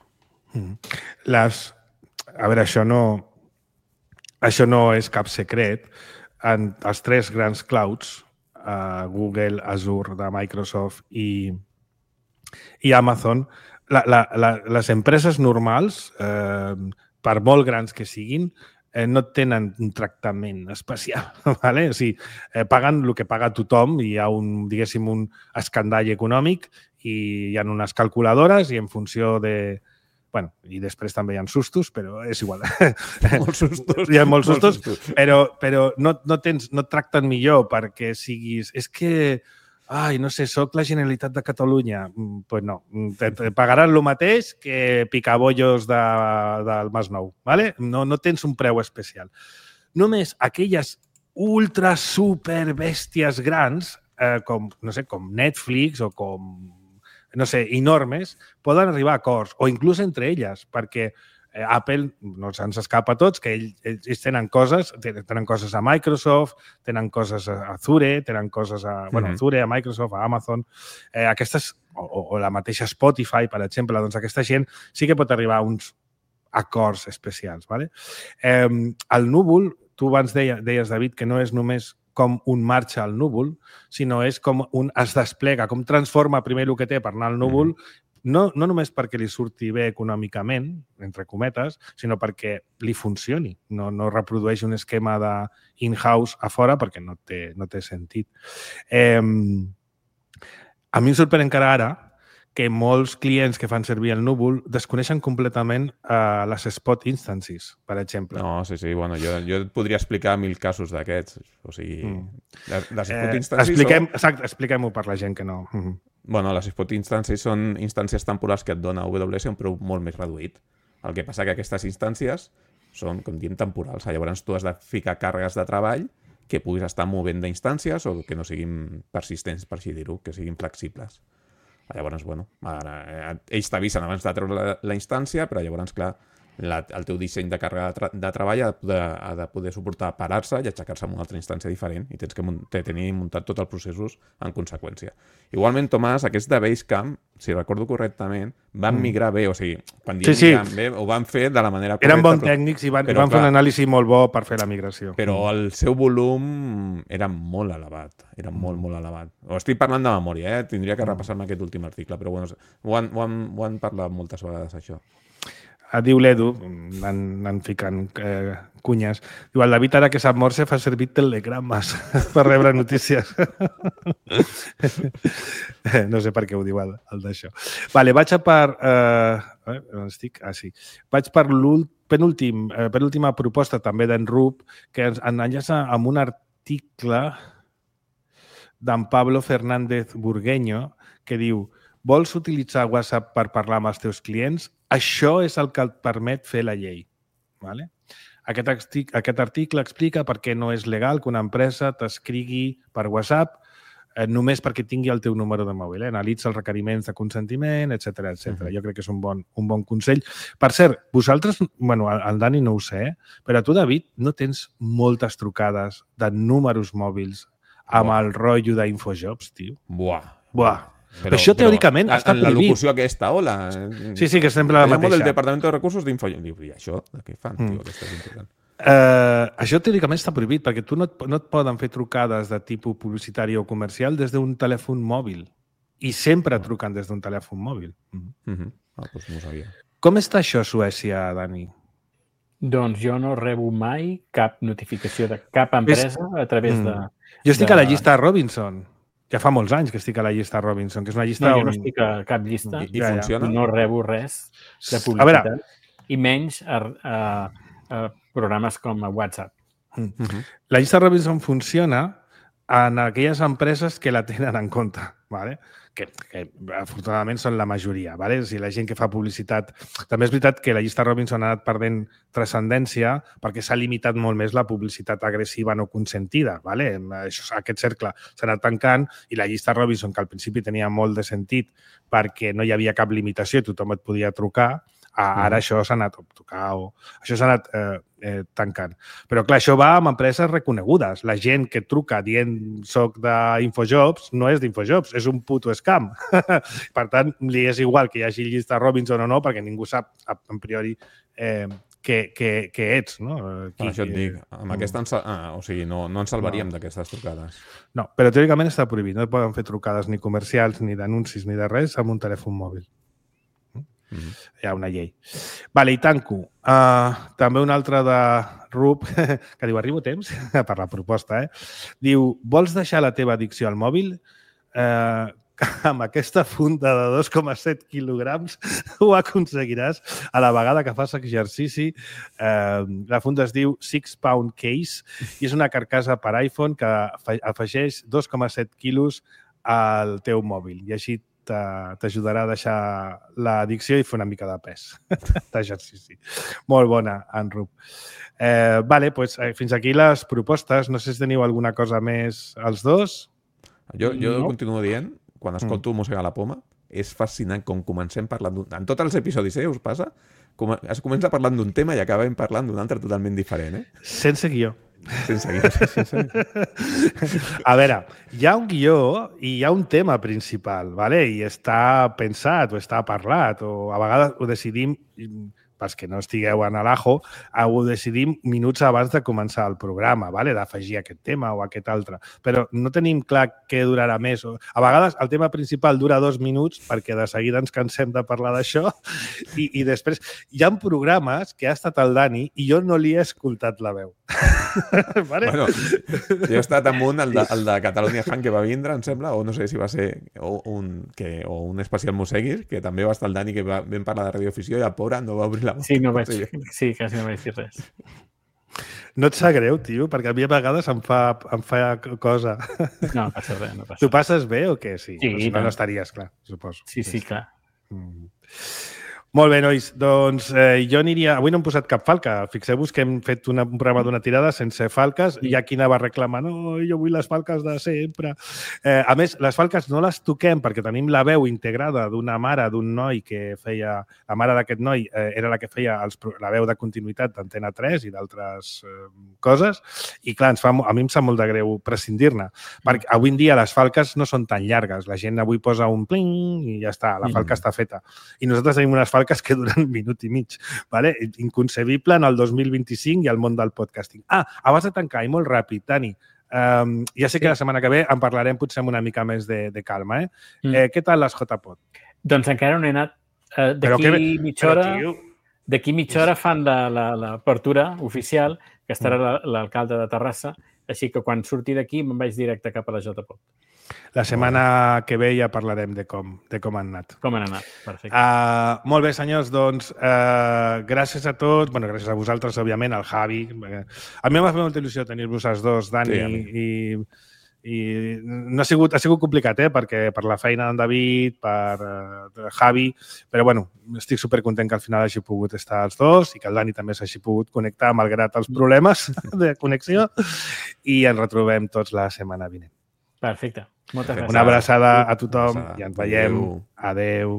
Les... A veure, això no... Això no és cap secret. En els tres grans clouds, uh, Google, Azure de Microsoft i, i Amazon, la, la, la, les empreses normals, eh, per molt grans que siguin, Eh, no tenen un tractament especial, ¿vale? O sigui, eh, paguen el que paga tothom i hi ha un, diguéssim, un escandall econòmic i hi ha unes calculadores i en funció de... Bueno, i després també hi ha sustos, però és igual. Molts sustos. Hi ha molts sustos, molts sustos. però, però no, no, tens, no et tracten millor perquè siguis... És que... Ai, no sé, soc la Generalitat de Catalunya. Doncs pues no, te, te pagaran el mateix que picabollos de, del Masnou, ¿vale? No, no tens un preu especial. Només aquelles ultra super bèsties grans, eh, com, no sé, com Netflix o com, no sé, enormes, poden arribar a acords, o inclús entre elles, perquè Eh, Apple no se'ns escapa a tots, que ells, ells tenen coses, tenen coses a Microsoft, tenen coses a Azure, tenen coses a, bueno, Mhm. Azure, a Microsoft, a Amazon. Eh, aquestes, o, o la mateixa Spotify, per exemple, doncs aquesta gent sí que pot arribar a uns acords especials. Vale? Eh, el núvol, tu abans deia, deies, David, que no és només com un marxa al núvol, sinó és com un es desplega, com transforma primer el que té per anar al núvol, mm. no, no només perquè li surti bé econòmicament, entre cometes, sinó perquè li funcioni. No, no reprodueix un esquema de in-house a fora perquè no té, no té sentit. Eh, a mi em sorprèn encara ara que molts clients que fan servir el núvol desconeixen completament uh, les spot instances, per exemple. No, sí, sí. Bueno, jo, jo et podria explicar mil casos d'aquests. O sigui, mm. les, les spot eh, instances... Expliquem, són... exacte, expliquem-ho per la gent que no... Mm -hmm. Bueno, les spot instances són instàncies temporals que et dona A W S a un preu molt més reduït. El que passa que aquestes instàncies són, com diem, temporals. Llavors tu has de ficar càrregues de treball que puguis estar movent d'instàncies o que no siguin persistents, per així dir-ho, que siguin flexibles. Llavors, bueno, ara, ells t'avisen abans de treure la, la instància, però llavors, clar, la, el teu disseny de càrrega de, tra de treball ha de poder, ha de poder suportar parar-se i aixecar-se en una altra instància diferent i tens que te tenir muntat tots els processos en conseqüència. Igualment, Tomàs, aquests de Basecamp, si recordo correctament, van migrar bé, o sigui, quan diem sí, sí. migrar bé, ho van fer de la manera correcta. Eren bons tècnics i van, però, van clar, fer un anàlisi molt bo per fer la migració. Però el seu volum era molt elevat, era molt, molt elevat. Ho estic parlant de memòria, eh? Tindria que repassar-me aquest últim article, però bueno, ho han, ho han, ho han parlat moltes vegades, això. Diu l'Edu, anant ficant eh, cunyes, diu, el David ara que sap morse fa servir telegrames per rebre notícies. No sé per què ho diu el, el d'això. Vale, vaig a per... Eh, on estic? Ah, sí. Vaig per penúltim, eh, penúltima proposta també d'en Rup, que ens enllaça amb un article d'en Pablo Fernández Burgueño que diu: vols utilitzar WhatsApp per parlar amb els teus clients? Això és el que et permet fer la llei. Vale? Aquest, aquest article explica per què no és legal que una empresa t'escrigui per WhatsApp eh, només perquè tingui el teu número de mòbil. Eh? Analitza els requeriments de consentiment, etcètera, etcètera. Uh-huh. Jo crec que és un bon, un bon consell. Per cert, vosaltres, bueno, el Dani no ho sé, eh? Però tu, David, no tens moltes trucades de números mòbils amb Buah. el rotllo d'Infojobs, tio? Buah. Buah. Però, això teòricament però, està en prohibit. la locució aquesta, hola. Sí, sí, que sempre la mateixa. del Departament de Recursos d'Infojobs. Diu, i això? De què fan, tio? Mm. Aquesta és important. Uh, això teòricament està prohibit perquè tu no et, no et poden fer trucades de tipus publicitari o comercial des d'un telèfon mòbil. I sempre oh. truquen des d'un telèfon mòbil. Mm -hmm. Ah, doncs no ho sabia. Com està això a Suècia, Dani? Doncs jo no rebo mai cap notificació de cap empresa és... a través mm. de... Jo estic de... a la llista Robinson. Ja fa molts anys que estic a la llista Robinson, que és una llista... No, jo on... no estic a cap llista. I, i ja, funciona? No rebo res de publicitat. Veure... I menys a, a, a programes com a WhatsApp. Mm -hmm. La llista Robinson funciona en aquelles empreses que la tenen en compte, ¿vale? que, que afortunadament són la majoria. ¿Vale? O sigui, la gent que fa publicitat... També és veritat que la llista Robinson ha anat perdent transcendència perquè s'ha limitat molt més la publicitat agressiva no consentida. ¿Vale? Això, aquest cercle s'ha anat tancant i la llista Robinson, que al principi tenia molt de sentit perquè no hi havia cap limitació i tothom et podia trucar, ara mm. això s'ha anat tocar o això s'ha anat eh, eh, tancant. Però clar, això va amb empreses reconegudes. La gent que truca dient soc d'Infojobs no és d'Infojobs, és un puto scam. Per tant, li és igual que hi hagi llista Robinson o no, perquè ningú sap a priori eh, que, que, que ets. No? Qui, això et dic. Amb mm. aquesta ens, ah, o sigui, no, no ens salvaríem no. d'aquestes trucades. No, però teòricament està prohibit. No poden fer trucades ni comercials, ni d'anuncis, ni de res amb un telèfon mòbil. Mm-hmm. Hi ha una llei. Vale, i tanco. Uh, també un altre de Rup, que diu, arribo a temps per la proposta, eh? Diu, vols deixar la teva addicció al mòbil? Uh, amb aquesta funda de dos coma set quilograms ho aconseguiràs a la vegada que fas exercici. Uh, la funda es diu Six Pound Case i és una carcassa per iPhone que afegeix dos coma set quilos al teu mòbil i així t'ajudarà a deixar l'addicció i fer una mica de pes d'exercici. Molt bona, en Rup. Eh, vale, pues, eh, fins aquí les propostes. No sé si teniu alguna cosa més els dos. Jo, jo no. continuo dient, quan escolto mm. música a la poma, és fascinant com comencem parlant... En tots els episodis, eh, us passa? com, es comença parlant d'un tema i acabem parlant d'un altre totalment diferent, eh? Sense guió. Sense guió, sense guió. A veure, hi ha un guió i hi ha un tema principal, ¿vale? I està pensat o està parlat, o a vegades ho decidim, pels que no estigueu en l'ajo, ho decidim minuts abans de començar el programa, ¿vale? D'afegir aquest tema o aquest altre. Però no tenim clar què durarà més. A vegades el tema principal dura dos minuts perquè de seguida ens cansem de parlar d'això i, i després hi ha programes que ha estat el Dani i jo no li he escoltat la veu. Vale? Bueno, jo he estat amb un, el de, el de Catalunya Fan, que va vindre, em sembla, o no sé si va ser o un, que, o un especial Museguis, que també va estar el Dani, que va, vam parlar de radioafició i el pobre no va obrir la boca. Sí, no vaig, sí, quasi no vaig dir res. No et sap greu, tio? Perquè a mi a vegades em fa, em fa cosa. No, passa res, no passa. Tu passes bé o què? Sí, Sí, si no, no. no estaries, clar, suposo. Sí, sí, clar. Mm. Molt bé, nois. Doncs eh, jo aniria... Avui no hem posat cap falca. Fixeu-vos que hem fet una, un programa d'una tirada sense falques. Hi ha qui anava reclamant no, jo vull les falques de sempre. Eh, a més, les falques no les toquem perquè tenim la veu integrada d'una mare, d'un noi que feia... La mare d'aquest noi eh, era la que feia els, la veu de continuïtat d'Antena tres i d'altres eh, coses. I, clar, ens fa, a mi em sap molt de greu prescindir-ne. Perquè avui en dia les falques no són tan llargues. La gent avui posa un pling i ja està. La falca mm. està feta. I nosaltres tenim unes falques que duren un minut i mig. Vale? Inconcebible en el dos mil vint-i-cinc i al món del podcasting. Ah, abans de tancar, i molt ràpid, Dani, um, ja sé que sí. La setmana que ve en parlarem potser amb una mica més de, de calma. Eh? Mm. Eh, què tal les J P O D? Doncs encara no he anat. Uh, D'aquí que... mitja hora... D'aquí mitja hora fan l'apertura oficial, que estarà l'alcalde de Terrassa, així que quan surti d'aquí me'n vaig directe cap a la J P O D. La setmana que ve ja parlarem de com, de com han anat. Com han anat, perfecte. Uh, molt bé, senyors, doncs uh, gràcies a tots, bueno, gràcies a vosaltres, òbviament, al Javi. A mi m'ha fet molta il·lusió tenir-vos els dos, Dani, sí, i, i no ha sigut, ha sigut complicat, eh? Perquè per la feina d'en David, per uh, Javi, però bueno, estic supercontent que al final hagi pogut estar els dos i que el Dani també s'hagi pogut connectar malgrat els problemes de connexió i ens retrobem tots la setmana vinent. Perfecte. Moltes gràcies. Una abraçada a tothom i ens veiem. Adeu.